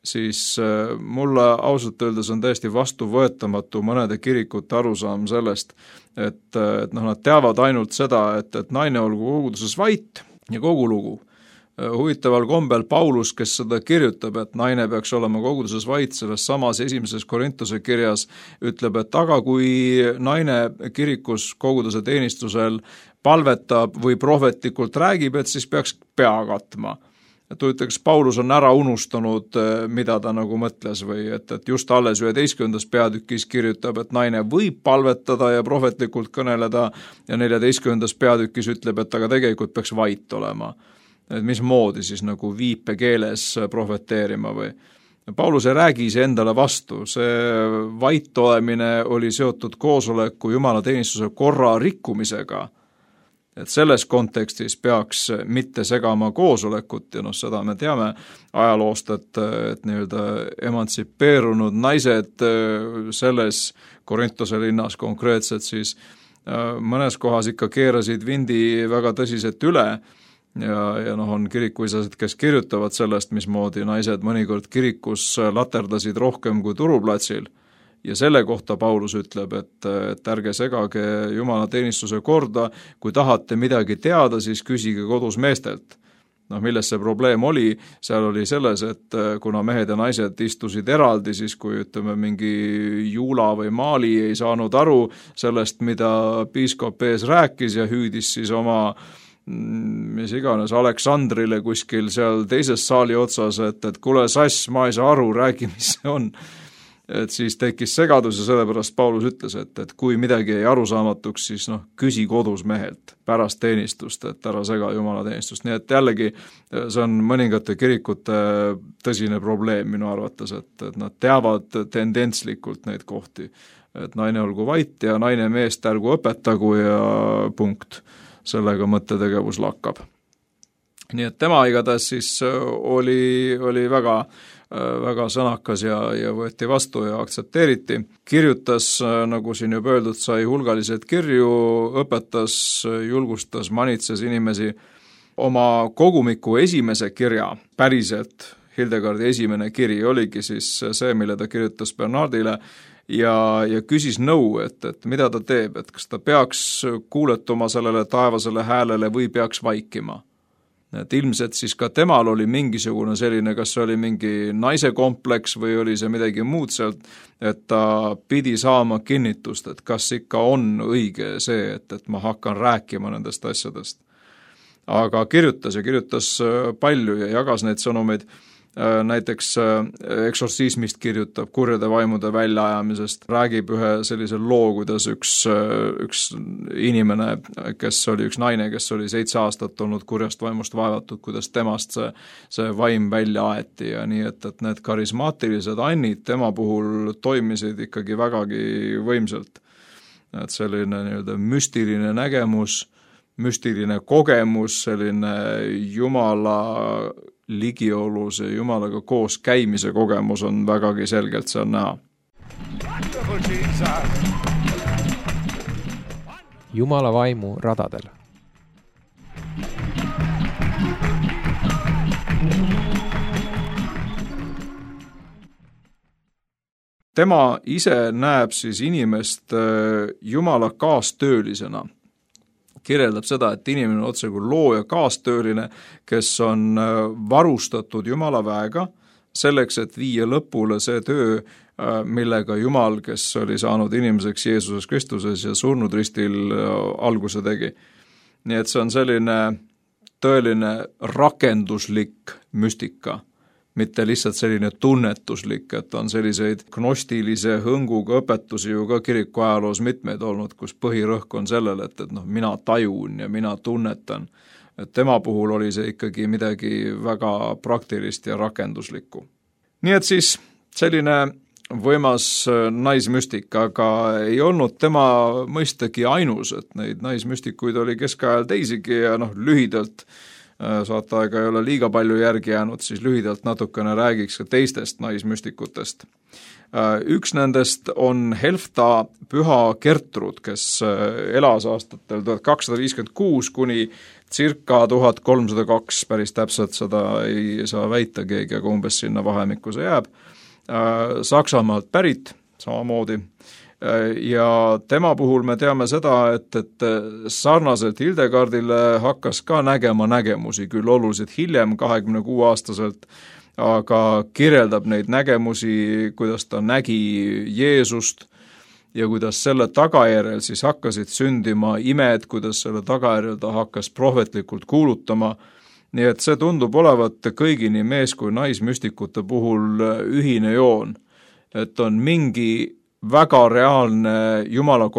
siis mulle ausalt öeldes on täiesti vastuvõetamatu mõnede kirikute arusaam sellest, et nad teavad ainult seda, et naine olgu koguduses vait ja kogu lugu. Huvitaval kombel Paulus, kes seda kirjutab, et naine peaks olema koguduses vait, selles samas 1. Korintuse kirjas ütleb, et aga kui naine kirikus koguduse teenistusel palvetab või prohvetlikult räägib, et siis peaks pea katma. Et huvitaks, Paulus on ära unustanud, mida ta nagu mõtles või et just alles 11. peatükis kirjutab, et naine võib palvetada ja prohvetlikult kõneleda ja 14. peatükis ütleb, et aga tegelikult peaks vait olema. Et mismoodi siis nagu viipekeeles prohveteerima või. Paulus ei räägi iseendale vastu, see vait olemine oli seotud koosoleku jumalateenistuse korra rikkumisega. Et selles kontekstis peaks mitte segama koosolekut ja seda me teame ajaloost, et nii-öelda emantsipeerunud naised selles Korintuse linnas konkreetselt siis mõnes kohas ikka keerasid vindi väga tõsiselt üle ja on kirikuisased, kes kirjutavad sellest, mismoodi naised mõnikord kirikus laterdasid rohkem kui turuplatsil. Ja selle kohta Paulus ütleb, et ärge segage Jumala teenistuse korda, kui tahate midagi teada, siis küsige kodus meestelt. Milles see probleem oli? Seal oli selles, et kuna mehed ja naised istusid eraldi, siis kui mingi Juula või Maali ei saanud aru sellest, mida piiskop ees rääkis ja hüüdis siis oma mis iganes Aleksandrile kuskil seal teises saali otsas, et kuule sass, ma ei saa aru, räägi, mis see on. Et siis tekkis segadus ja sellepärast Paulus ütles, et kui midagi ei arusaamatuks, siis küsi kodus mehelt pärast teenistust, et ära sega Jumala teenistust. Nii et jällegi see on mõningate kirikute tõsine probleem minu arvates, et nad teavad tendentslikult neid kohti, et naine olgu vait ja naine meest ärgu õpetagu ja punkt. Sellega mõttetegevus lakkab. Nii et tema igatahes siis oli väga sõnakas ja võeti vastu ja aktsepteeriti. Kirjutas, nagu siin juba öeldud, sai hulgaliselt kirju, õpetas, julgustas, manitses inimesi. Oma kogumiku esimese kirja, päriselt Hildegardi esimene kiri oligi siis see, mille ta kirjutas Bernardile ja küsis nõu, et mida ta teeb, et kas ta peaks kuuletuma sellele taevasele häälele või peaks vaikima. Et ilmselt siis ka temal oli mingisugune selline, kas see oli mingi naise kompleks või oli see midagi muud sealt, et ta pidi saama kinnitust, et kas ikka on õige see, et ma hakkan rääkima nendest asjadest. Aga kirjutas palju ja jagas neid sõnumeid. Näiteks eksortsismist kirjutab kurjade vaimude väljaajamisest, räägib ühe sellise loo, kuidas üks inimene, kes oli üks naine, kes oli 7 aastat olnud kurjast vaimust vaevatud, kuidas temast see vaim välja aeti ja nii, et need karismaatilised annid tema puhul toimisid ikkagi vägagi võimsalt. Et selline nii-öelda müstiline nägemus, müstiline kogemus, selline Jumala ligiolus ja Jumalaga koos käimise kogemus on vägagi selgelt seal näha. Jumala vaimu radadel. Tema ise näeb siis inimest Jumala kaastöölisena. Kirjeldab seda, et inimene on otse kui looja kaastööline, kes on varustatud Jumala väega selleks, et viia lõpule see töö, millega Jumal, kes oli saanud inimeseks Jeesuses Kristuses ja surnud ristil alguse tegi. Nii et see on selline tõeline rakenduslik müstika, mitte lihtsalt selline tunnetuslik, et on selliseid gnostilise hõnguga õpetusi ju ka kiriku ajaloos mitmeid olnud, kus põhirõhk on sellel, et mina tajun ja mina tunnetan. Et tema puhul oli see ikkagi midagi väga praktilist ja rakenduslikku. Nii et siis selline võimas naismüstik, aga ei olnud tema mõistagi ainus, et neid naismüstikuid oli keskajal teisigi ja lühidalt, saateaega ei ole liiga palju järgi jäänud, siis lühidalt natukene räägiks ka teistest naismüstikutest. Üks nendest on Helfta püha Gertrud, kes elas aastatel 1256 kuni circa 1302, päris täpselt seda ei saa väita keegi, aga umbes sinna vahemikku see jääb, Saksamaalt pärit samamoodi. Ja tema puhul me teame seda, et sarnaselt Hildegardile hakkas ka nägema nägemusi, küll oluliselt hiljem, 26-aastaselt, aga kirjeldab neid nägemusi, kuidas ta nägi Jeesust ja kuidas selle tagajärjel siis hakkasid sündima imed, kuidas selle tagajärjel ta hakkas prohvetlikult kuulutama. Nii et see tundub olevat kõigi nii mees- kui naismüstikute puhul ühine joon, et on mingi väga reaalne Jumala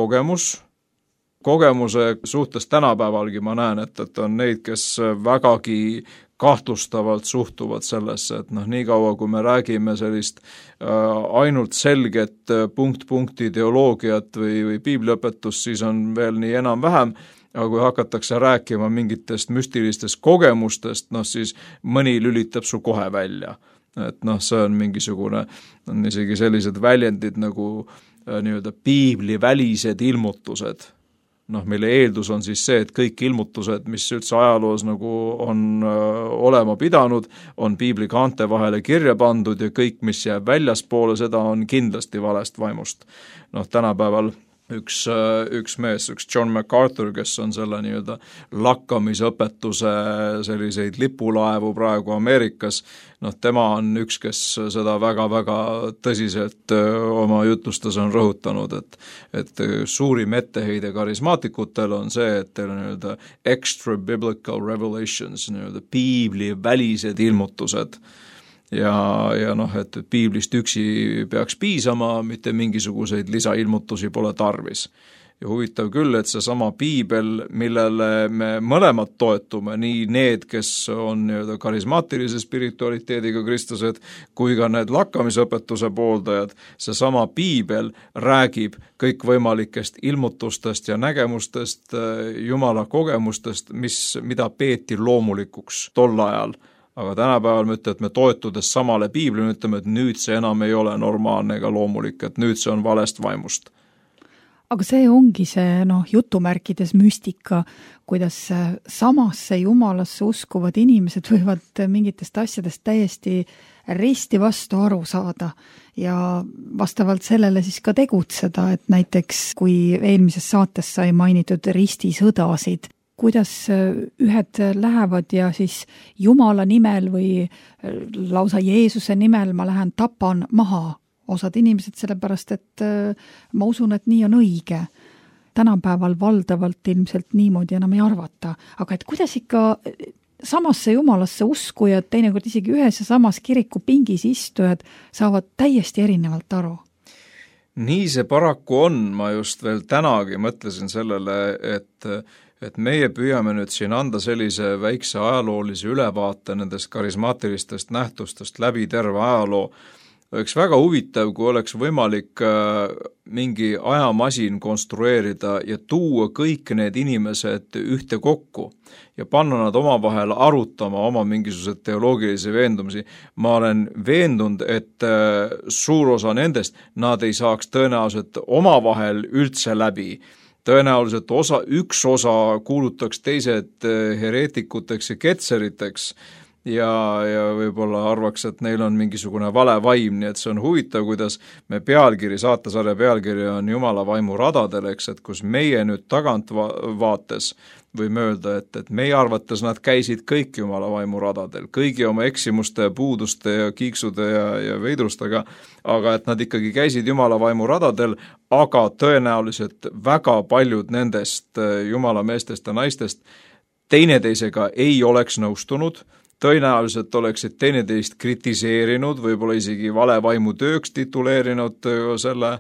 kogemuse suhtes tänapäevalgi ma näen, et on neid, kes vägagi kahtlustavalt suhtuvad sellesse, et nii kaua, kui me räägime sellist ainult selget punkt-punkti ideoloogiat või piibliõpetust, siis on veel nii enam-vähem, aga kui hakatakse rääkima mingitest müstilistest kogemustest, siis mõni lülitab su kohe välja. Et see on mingisugune, on isegi sellised väljendid nagu nii-öelda piiblivälised ilmutused. Mille eeldus on siis see, et kõik ilmutused, mis üldse ajaloos nagu on olema pidanud, on piibli kaante vahele kirja pandud ja kõik, mis jääb väljaspoole, seda on kindlasti valest vaimust. Tänapäeval üks mees, üks John MacArthur, kes on selle nii-öelda lakkamisõpetuse selliseid lipulaevu praegu Ameerikas, tema on üks, kes seda väga-väga tõsiselt oma jutlustes on rõhutanud, et suurim etteheide karismaatikutel on see, et teil on nii-öelda extra biblical revelations, nii-öelda piibli välised ilmutused. Ja et piiblist üksi peaks piisama, mitte mingisuguseid lisailmutusi pole tarvis. Ja huvitav küll, et see sama piibel, millele me mõlemad toetume, nii need, kes on nii-öelda karismaatilise spiritualiteediga kristlased, kui ka need lakkamisõpetuse pooldajad, see sama piibel räägib kõikvõimalikest ilmutustest ja nägemustest, Jumala kogemustest, mida peeti loomulikuks tol ajal. Aga tänapäeval me ütleme, et me toetudes samale piiblile ütleme, et nüüd see enam ei ole normaalne ega loomulik, et nüüd see on valest vaimust. Aga see ongi see jutumärkides müstika, kuidas samasse Jumalasse uskuvad inimesed võivad mingitest asjadest täiesti risti vastu aru saada ja vastavalt sellele siis ka tegutseda, et näiteks kui eelmises saates sai mainitud ristisõdasid, kuidas ühed lähevad ja siis Jumala nimel või lausa Jeesuse nimel ma lähen tapan maha osad inimesed, sellepärast et ma usun, et nii on õige. Tänapäeval valdavalt ilmselt niimoodi enam ei arvata, aga et kuidas ikka samasse Jumalasse uskujad, teinekord isegi ühes ja samas kirikupingis istujad saavad täiesti erinevalt aru? Nii see paraku on, ma just veel tänagi mõtlesin sellele, et meie püüame nüüd siin anda sellise väikse ajaloolise ülevaate nendest karismaatilistest nähtustest läbi terve ajaloo. Oleks väga huvitav, kui oleks võimalik mingi ajamasin konstrueerida ja tuua kõik need inimesed ühte kokku ja panna nad omavahel arutama oma mingisugused teoloogilisi veendumusi. Ma olen veendunud, et suur osa nendest nad ei saaks tõenäoliselt omavahel üldse läbi. Tõenäoliselt üks osa kuulutaks teised hereetikuteks ja ketseriteks ja võib-olla arvaks, et neil on mingisugune vale vaim, nii et see on huvitav, kuidas me saatesarja pealkiri on Jumala vaimu radadel, eks, et kus meie nüüd tagant vaates võime öelda, et meie arvates nad käisid kõik Jumala vaimu radadel, kõigi oma eksimuste, puuduste ja kiiksude ja veidrustega, aga et nad ikkagi käisid Jumala vaimu radadel, aga tõenäoliselt väga paljud nendest Jumala meestest ja naistest teineteisega ei oleks nõustunud, tõenäoliselt oleksid teineteist kritiseerinud, võib-olla isegi vale vaimu tööks tituleerinud selle,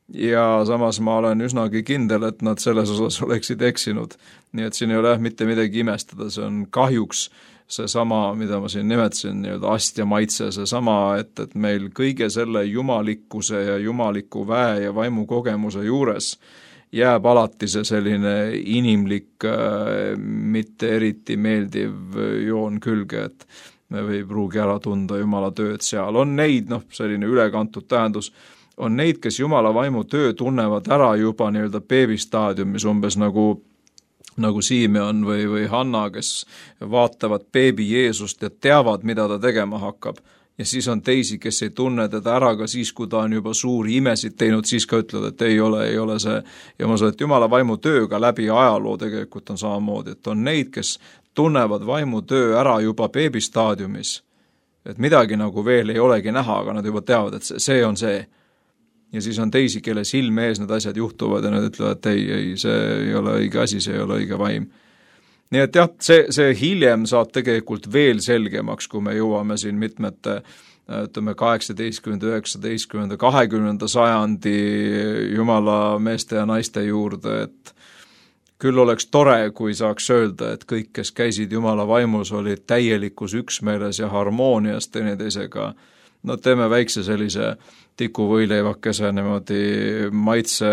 ja samas ma olen üsnagi kindel, et nad selles osas oleksid eksinud. Nii et siin ei ole mitte midagi imestada, see on kahjuks see sama, mida ma siin nimetasin, nii-öelda astja maitse, see sama, et meil kõige selle jumalikkuse ja jumaliku väe ja vaimu kogemuse juures jääb alati see selline inimlik, mitte eriti meeldiv joon külge, et me ei pruugi ära tunda Jumala tööd seal. On neid, selline ülekantud tähendus, on neid, kes Jumala vaimu töö tunnevad ära juba nii-öelda beebistaadiumis, umbes nagu Simeon või Hanna, kes vaatavad beebi Jeesust ja teavad, mida ta tegema hakkab. Ja siis on teisi, kes ei tunne teda ära ka siis, kui ta on juba suuri imesid teinud, siis ka ütlevad, et ei ole see. Ja ma saan, et Jumala vaimu tööga läbi ajaloo tegelikult on samamoodi, et on neid, kes tunnevad vaimu töö ära juba beebistaadiumis. Et midagi nagu veel ei olegi näha, aga nad juba teavad, et see on see. Ja siis on teisi, kelle silme ees need asjad juhtuvad ja nad ütlevad, et ei, see ei ole õige asi, see ei ole õige vaim. Nii et jah, see hiljem saab tegelikult veel selgemaks, kui me jõuame siin mitmete, 18., 19., 20. sajandi Jumala meeste ja naiste juurde, et küll oleks tore, kui saaks öelda, et kõik, kes käisid Jumala vaimus, olid täielikus üksmeeles ja harmoonias teineteisega. No teeme väikse sellise tikuvõileivakese niimoodi maitse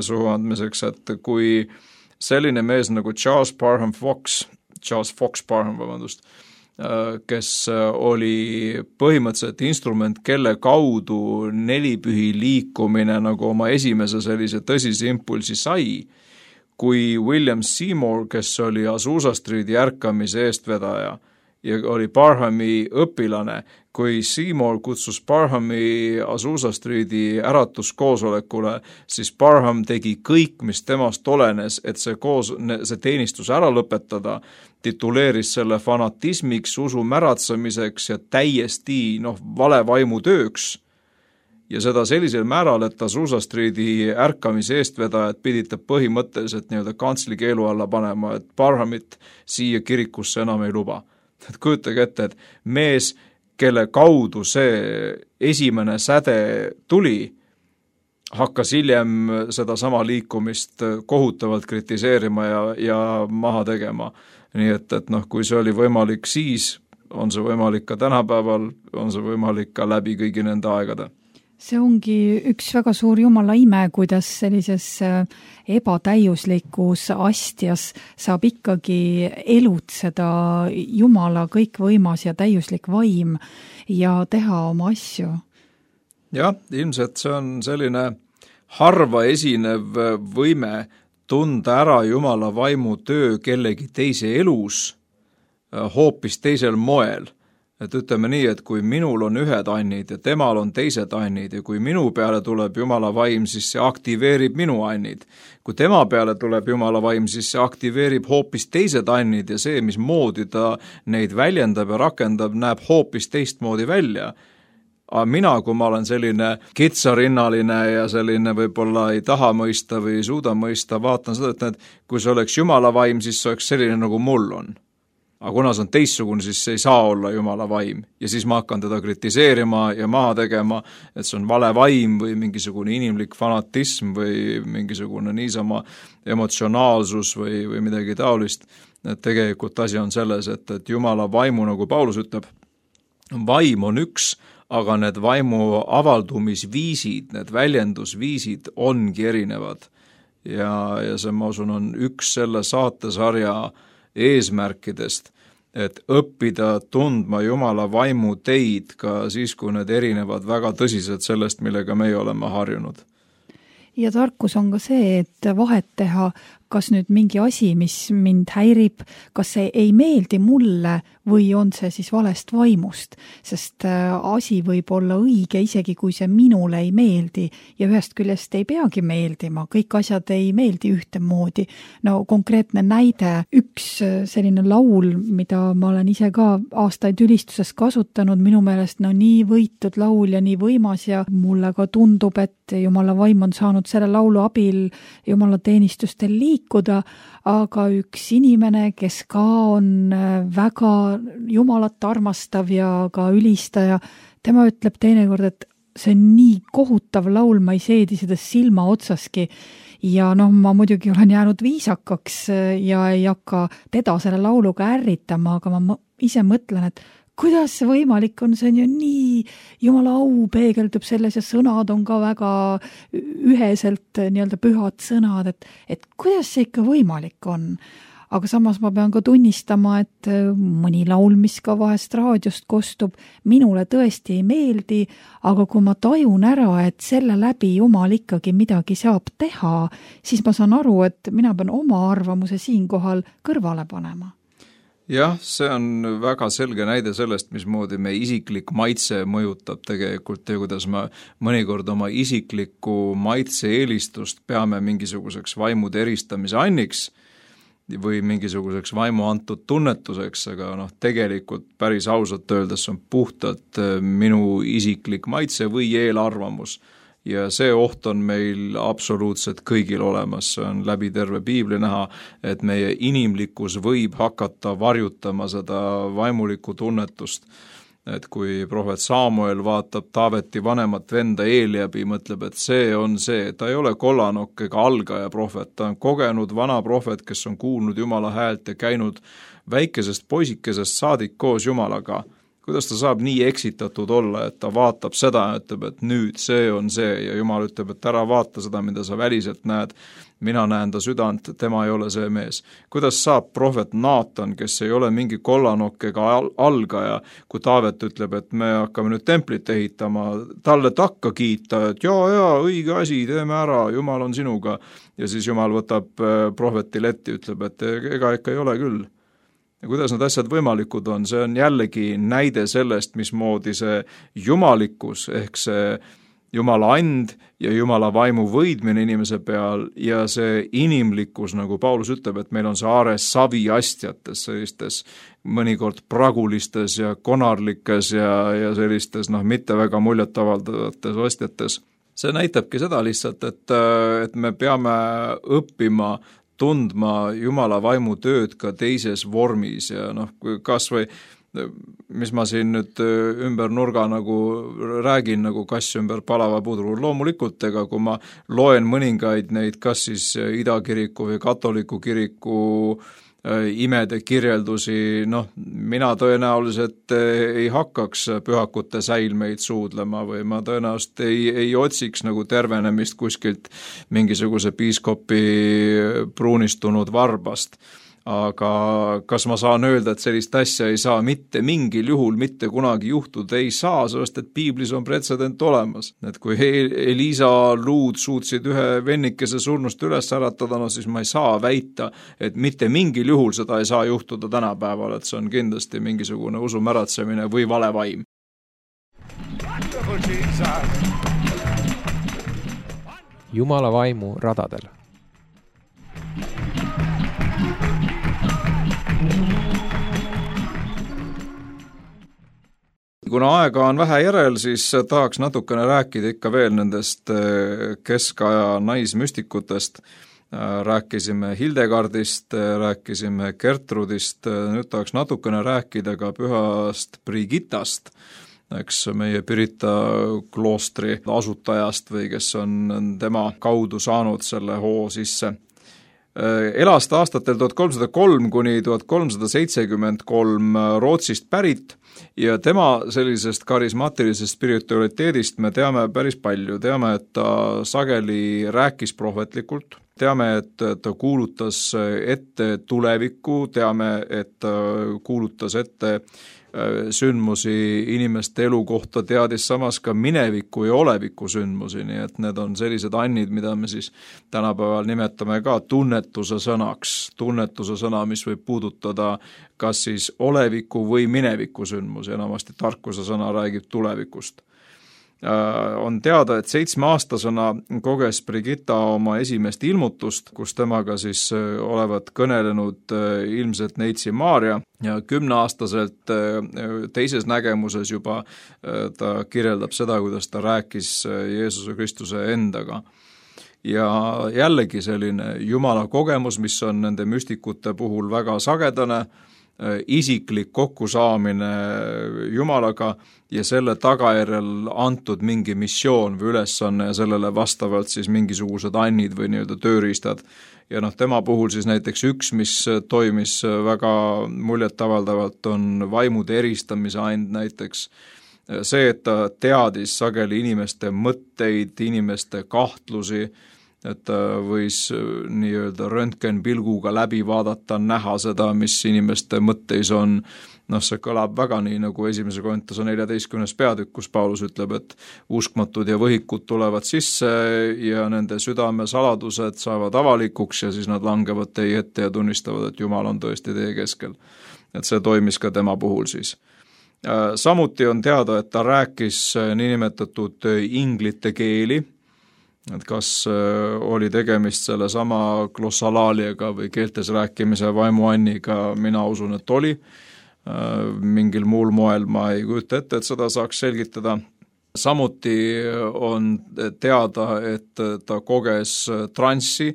suhu andmiseks, et kui selline mees nagu Charles Fox Parham, kes oli põhimõtteliselt instrument, kelle kaudu nelipühi liikumine nagu oma esimese sellise tõsise impulsi sai, kui William Seymour, kes oli Azusa Streeti ärkamise eestvedaja ja oli Parhami õpilane, kui Seymour kutsus Parhami Azusa Streeti äratuskoosolekule, siis Parham tegi kõik, mis temast olenes, et see teenistus ära lõpetada, tituleeris selle fanatismiks, usu märatsemiseks ja täiesti vale vaimu tööks. Ja seda sellisel määral, et Azusa Streeti ärkamise eestvedajad pidid ta põhimõtteliselt nii-öelda kantsli keelu alla panema, et Parhamit siia kirikusse enam ei luba. Et kujutage ette, et mees, kelle kaudu see esimene säde tuli, hakkas hiljem seda sama liikumist kohutavalt kritiseerima ja maha tegema. Nii et kui see oli võimalik siis, on see võimalik ka tänapäeval, on see võimalik ka läbi kõigi nende aegade. See ongi üks väga suur Jumala ime, kuidas sellises ebatäiuslikus astjas saab ikkagi elutseda Jumala kõikvõimas ja täiuslik vaim ja teha oma asju. Jah, ilmselt see on selline harva esinev võime tunda ära Jumala vaimu töö kellegi teise elus hoopis teisel moel. Et ütleme nii, et kui minul on ühed annid ja temal on teised annid ja kui minu peale tuleb Jumala vaim, siis see aktiveerib minu annid. Kui tema peale tuleb Jumala vaim, siis see aktiveerib hoopis teised annid ja see, mis moodi ta neid väljendab ja rakendab, näeb hoopis teistmoodi välja. Aga mina, kui ma olen selline kitsarinnaline ja selline võib-olla ei taha mõista või ei suuda mõista, vaatan seda, et kui see oleks Jumala vaim, siis see oleks selline, nagu mul on. Aga kuna see on teistsugune, siis see ei saa olla Jumala vaim. Ja siis ma hakkan teda kritiseerima ja maha tegema, et see on vale vaim või mingisugune inimlik fanatism või mingisugune niisama emotsionaalsus või midagi taolist. Et tegelikult asi on selles, et Jumala vaimu, nagu Paulus ütleb, vaim on üks, aga need vaimu avaldumisviisid, need väljendusviisid ongi erinevad. Ja see, ma usun, on üks selle saatesarja eesmärkidest, et õppida tundma Jumala vaimu teid ka siis, kui need erinevad väga tõsiselt sellest, millega meie oleme harjunud. Ja tarkus on ka see, et vahet teha, kas nüüd mingi asi, mis mind häirib, kas see ei meeldi mulle või on see siis valest vaimust, sest asi võib olla õige, isegi kui see minule ei meeldi ja ühest küljest ei peagi meeldima, kõik asjad ei meeldi ühtemoodi. No konkreetne näide, üks selline laul, mida ma olen ise ka aastaid ülistuses kasutanud, minu meelest nii võitud laul ja nii võimas ja mulle ka tundub, et Jumala vaim on saanud selle laulu abil Jumala teenistustel liikuda, aga üks inimene, kes ka on väga Jumalat armastav ja ka ülistaja, tema ütleb teinekord, et see on nii kohutav laul, ma ei seedi seda silma otsaski ja ma muidugi olen jäänud viisakaks ja ei hakka teda selle lauluga ärritama, aga ma ise mõtlen, et kuidas see võimalik on, see on ju nii, Jumala au peegeldub selles ja sõnad on ka väga üheselt nii-öelda pühad sõnad, et kuidas see ikka võimalik on. Aga samas ma pean ka tunnistama, et mõni laul, mis ka vahest raadiost kostub, minule tõesti ei meeldi, aga kui ma tajun ära, et selle läbi Jumal ikkagi midagi saab teha, siis ma saan aru, et mina pean oma arvamuse siinkohal kõrvale panema. Jah, see on väga selge näide sellest, mismoodi meie isiklik maitse mõjutab tegelikult ja kuidas me mõnikord oma isiklikku maitse eelistust peame mingisuguseks vaimude eristamise anniks või mingisuguseks vaimu antud tunnetuseks, aga tegelikult päris ausalt öeldes on puhtalt minu isiklik maitse või eelarvamus. Ja see oht on meil absoluutselt kõigil olemas, see on läbi terve piibli näha, et meie inimlikkus võib hakata varjutama seda vaimulikku tunnetust. Et kui prohvet Samuel vaatab Taaveti vanemat venda Eeliabi, mõtleb, et see on see, ta ei ole kollanokk ega algaja prohvet, ta on kogenud vana prohvet, kes on kuulnud Jumala häält ja käinud väikesest poisikesest saadik koos Jumalaga. Kuidas ta saab nii eksitatud olla, et ta vaatab seda ja ütleb, et nüüd see on see ja Jumal ütleb, et ära vaata seda, mida sa väliselt näed, mina näen ta südant, tema ei ole see mees. Kuidas saab prohvet Naatan, kes ei ole mingi kollanokk ega algaja, kui Taavet ütleb, et me hakkame nüüd templit ehitama, talle takka kiita, et jaa, õige asi, teeme ära, Jumal on sinuga. Ja siis Jumal võtab prohveti letti, ütleb, et ega ikka ei ole küll. Ja kuidas need asjad võimalikud on, see on jällegi näide sellest, mismoodi see jumalikkus ehk see Jumala and ja Jumala vaimu võidmine inimese peal ja see inimlikkus, nagu Paulus ütleb, et meil on see aare saviastjates, sellistes mõnikord pragulistes ja konarlikes ja sellistes mitte väga muljetavaldavates astjates. See näitabki seda lihtsalt, et me peame õppima tundma Jumala vaimu tööd ka teises vormis ja kas või, mis ma siin nüüd ümber nurga räägin nagu kass ümber palava pudru, loomulikult, ega kui ma loen mõningaid neid kas siis idakiriku või katoliku kiriku imede kirjeldusi, mina tõenäoliselt ei hakkaks pühakute säilmeid suudlema või ma tõenäoliselt ei otsiks nagu tervenemist kuskilt mingisuguse piiskopi pruunistunud varbast. Aga kas ma saan öelda, et sellist asja ei saa mitte mingil juhul mitte kunagi juhtuda, ei saa, sest et piiblis on pretsedent olemas. Et kui Elisa luud suutsid ühe vennikese surnust üles äratada, siis ma ei saa väita, et mitte mingil juhul seda ei saa juhtuda tänapäeval, et see on kindlasti mingisugune usumäratsemine või vale vaim. Jumala vaimu radadel. Kuna aega on vähe järel, siis tahaks natukene rääkida ikka veel nendest keskaja naismüstikutest. Rääkisime Hildegardist, rääkisime Gertrudist, nüüd tahaks natukene rääkida ka pühast Brigittast, eks meie Pirita kloostri asutajast või kes on tema kaudu saanud selle hoo sisse. Elas ta aastatel 1303 kuni 1373 Rootsist pärit ja tema sellisest karismaatilisest spiritualiteedist me teame päris palju. Teame, et ta sageli rääkis prohvetlikult, teame, et ta kuulutas ette tulevikku, teame, et ta kuulutas ette sündmusi inimeste elu kohta, teadis samas ka mineviku ja oleviku sündmusi, nii et need on sellised annid, mida me siis tänapäeval nimetame ka tunnetuse sõna, mis võib puudutada kas siis oleviku või mineviku sündmusi, enamasti tarkuse sõna räägib tulevikust. On teada, et 7-aastasena koges Brigitta oma esimest ilmutust, kus temaga siis olevat kõnelenud ilmselt neitsi Maarja ja 10-aastaselt teises nägemuses juba ta kirjeldab seda, kuidas ta rääkis Jeesuse Kristuse endaga. Ja jällegi selline Jumala kogemus, mis on nende müstikute puhul väga sagedane, isiklik kokkusaamine Jumalaga ja selle tagajärjel antud mingi missioon või ülesanne ja sellele vastavalt siis mingisugused annid või nii-öelda tööriistad. Ja tema puhul siis näiteks üks, mis toimis väga muljetavaldavalt, on vaimude eristamise and näiteks. See, et ta teadis sageli inimeste mõtteid, inimeste kahtlusi, et ta võis nii-öelda röntgenpilguga läbi vaadata, näha seda, mis inimeste mõtteis on. See kõlab väga nii, nagu 1. Korintuse 14. peatükk, kus Paulus ütleb, et uskmatud ja võhikud tulevad sisse ja nende südame saladused saavad avalikuks ja siis nad langevad teie ette ja tunnistavad, et Jumal on tõesti teie keskel. Et see toimis ka tema puhul siis. Samuti on teada, et ta rääkis niinimetatud inglite keeli, et kas oli tegemist selle sama glossalaaliaga või keeltes rääkimise vaimuanniga, mina usun, et oli. Mingil muul moel ma ei kujuta ette, et seda saaks selgitada. Samuti on teada, et ta koges transsi,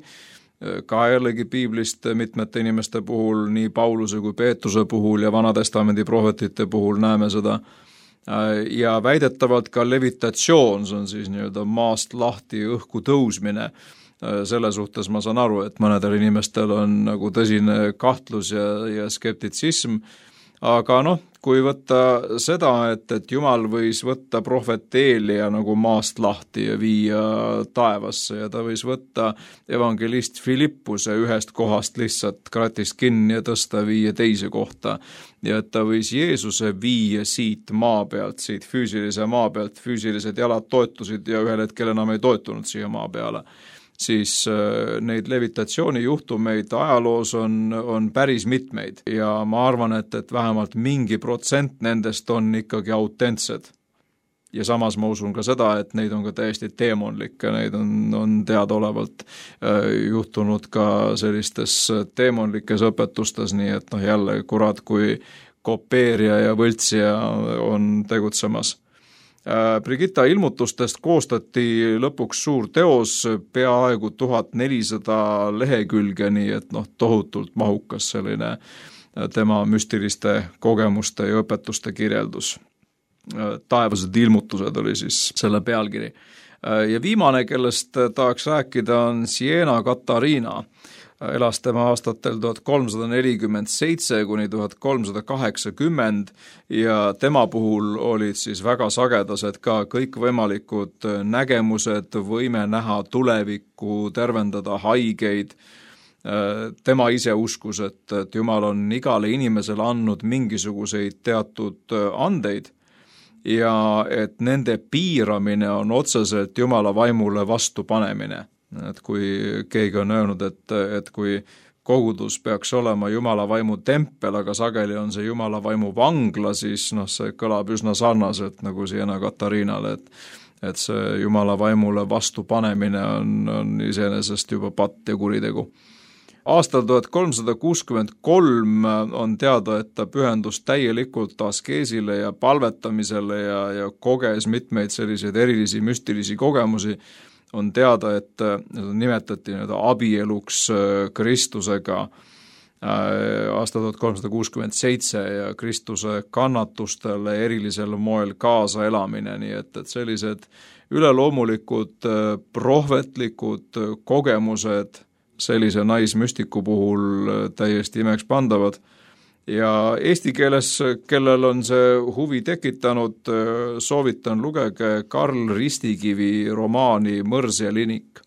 ka jällegi piiblist mitmete inimeste puhul, nii Pauluse kui Peetruse puhul ja Vanatestamendi prohvetite puhul näeme seda. Ja väidetavalt ka levitatsioon, see on siis nii-öelda maast lahti õhku tõusmine. Selle suhtes ma saan aru, et mõnedel inimestel on nagu tõsine kahtlus ja skeptitsism, aga kui võtta seda, et Jumal võis võtta prohvet Eelia nagu maast lahti ja viia taevasse ja ta võis võtta evangelist Filippuse ühest kohast lihtsalt kratist kinni ja tõsta viia teise kohta ja et ta võis Jeesuse viia siit maa pealt, siit füüsilise maa pealt, füüsilised jalad toetusid ja ühel hetkel enam ei toetunud siia maa peale. Siis neid levitatsiooni juhtumeid ajaloos on päris mitmeid ja ma arvan, et vähemalt mingi protsent nendest on ikkagi autentsed. Ja samas ma usun ka seda, et neid on ka täiesti teemonlikke, neid on teadaolevalt juhtunud ka sellistes teemonlikes õpetustes, nii et jälle kurat kui kopeerija ja võltsija on tegutsemas. Brigitta ilmutustest koostati lõpuks suur teos, peaaegu 1400 lehekülge, nii et tohutult mahukas selline tema müstiliste kogemuste ja õpetuste kirjeldus. Taevased ilmutused oli siis selle pealkiri. Ja viimane, kellest tahaks rääkida, on Siena Katariina. Elas tema aastatel 1347 kuni 1380 ja tema puhul olid siis väga sagedased ka kõikvõimalikud nägemused, võime näha tulevikku, tervendada haigeid. Tema ise uskus, et Jumal on igale inimesele andnud mingisuguseid teatud andeid ja et nende piiramine on otseselt Jumala vaimule vastupanemine. Et kui keegi on öelnud, et kui kogudus peaks olema Jumala vaimu tempel, aga sageli on see Jumala vaimu vangla, siis see kõlab üsna sarnaselt nagu Siena Katariinale, et see Jumala vaimule vastupanemine on iseenesest juba patt ja kuritegu. Aastal 1363 on teada, et ta pühendus täielikult askeesile ja palvetamisele ja koges mitmeid selliseid erilisi müstilisi kogemusi. On teada, et nimetati abieluks Kristusega aastal 1367 ja Kristuse kannatustele erilisel moel kaasa elamine, nii et sellised üleloomulikud prohvetlikud kogemused sellise naismüstiku puhul täiesti imeks pandavad. Ja eesti keeles, kellel on see huvi tekitanud, soovitan lugege Karl Ristikivi romaani Mõrs ja linik.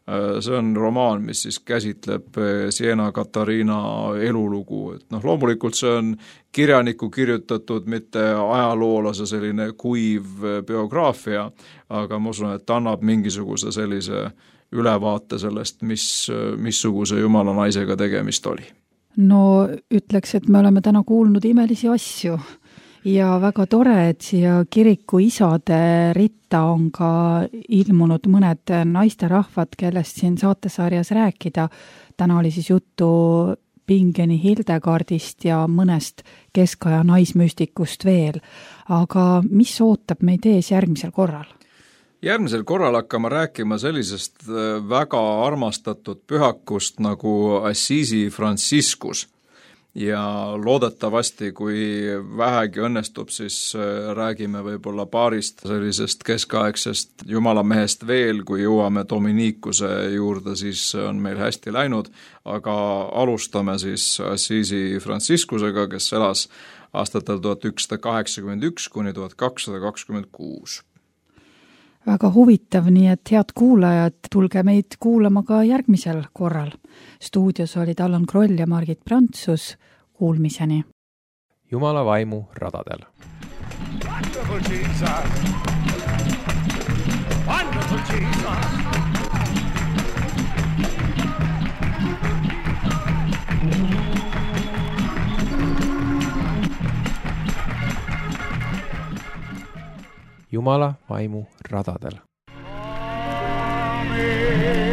See on romaan, mis siis käsitleb Siena Katariina elulugu. Loomulikult see on kirjaniku kirjutatud, mitte ajaloolase selline kuiv biograafia, aga ma usun, et annab mingisuguse sellise ülevaate sellest, missuguse jumala naisega tegemist oli. No ütleks, et me oleme täna kuulnud imelisi asju ja väga tore, et siia kiriku isade ritta on ka ilmunud mõned naisterahvad, kellest siin saatesarjas rääkida. Täna oli siis juttu Pingeni Hildegardist ja mõnest keskaja naismüstikust veel. Aga mis ootab meid ees järgmisel korral? Järgmisel korral hakkame rääkima sellisest väga armastatud pühakust nagu Assisi Franciscus. ja loodetavasti, kui vähegi õnnestub, siis räägime võib-olla paarist sellisest keskaegsest jumalamehest veel, kui jõuame Dominikuse juurde, siis on meil hästi läinud, aga alustame siis Assisi Franciscusega, kes elas aastatel 1181 kuni 1226. Väga huvitav, nii et head kuulajad, tulge meid kuulama ka järgmisel korral. Stuudios olid Allan Kroll ja Margit Prantsus, kuulmiseni. Jumala vaimu radadel. Wonderful Jesus. Wonderful Jesus. Jumala vaimu radadel. Amen.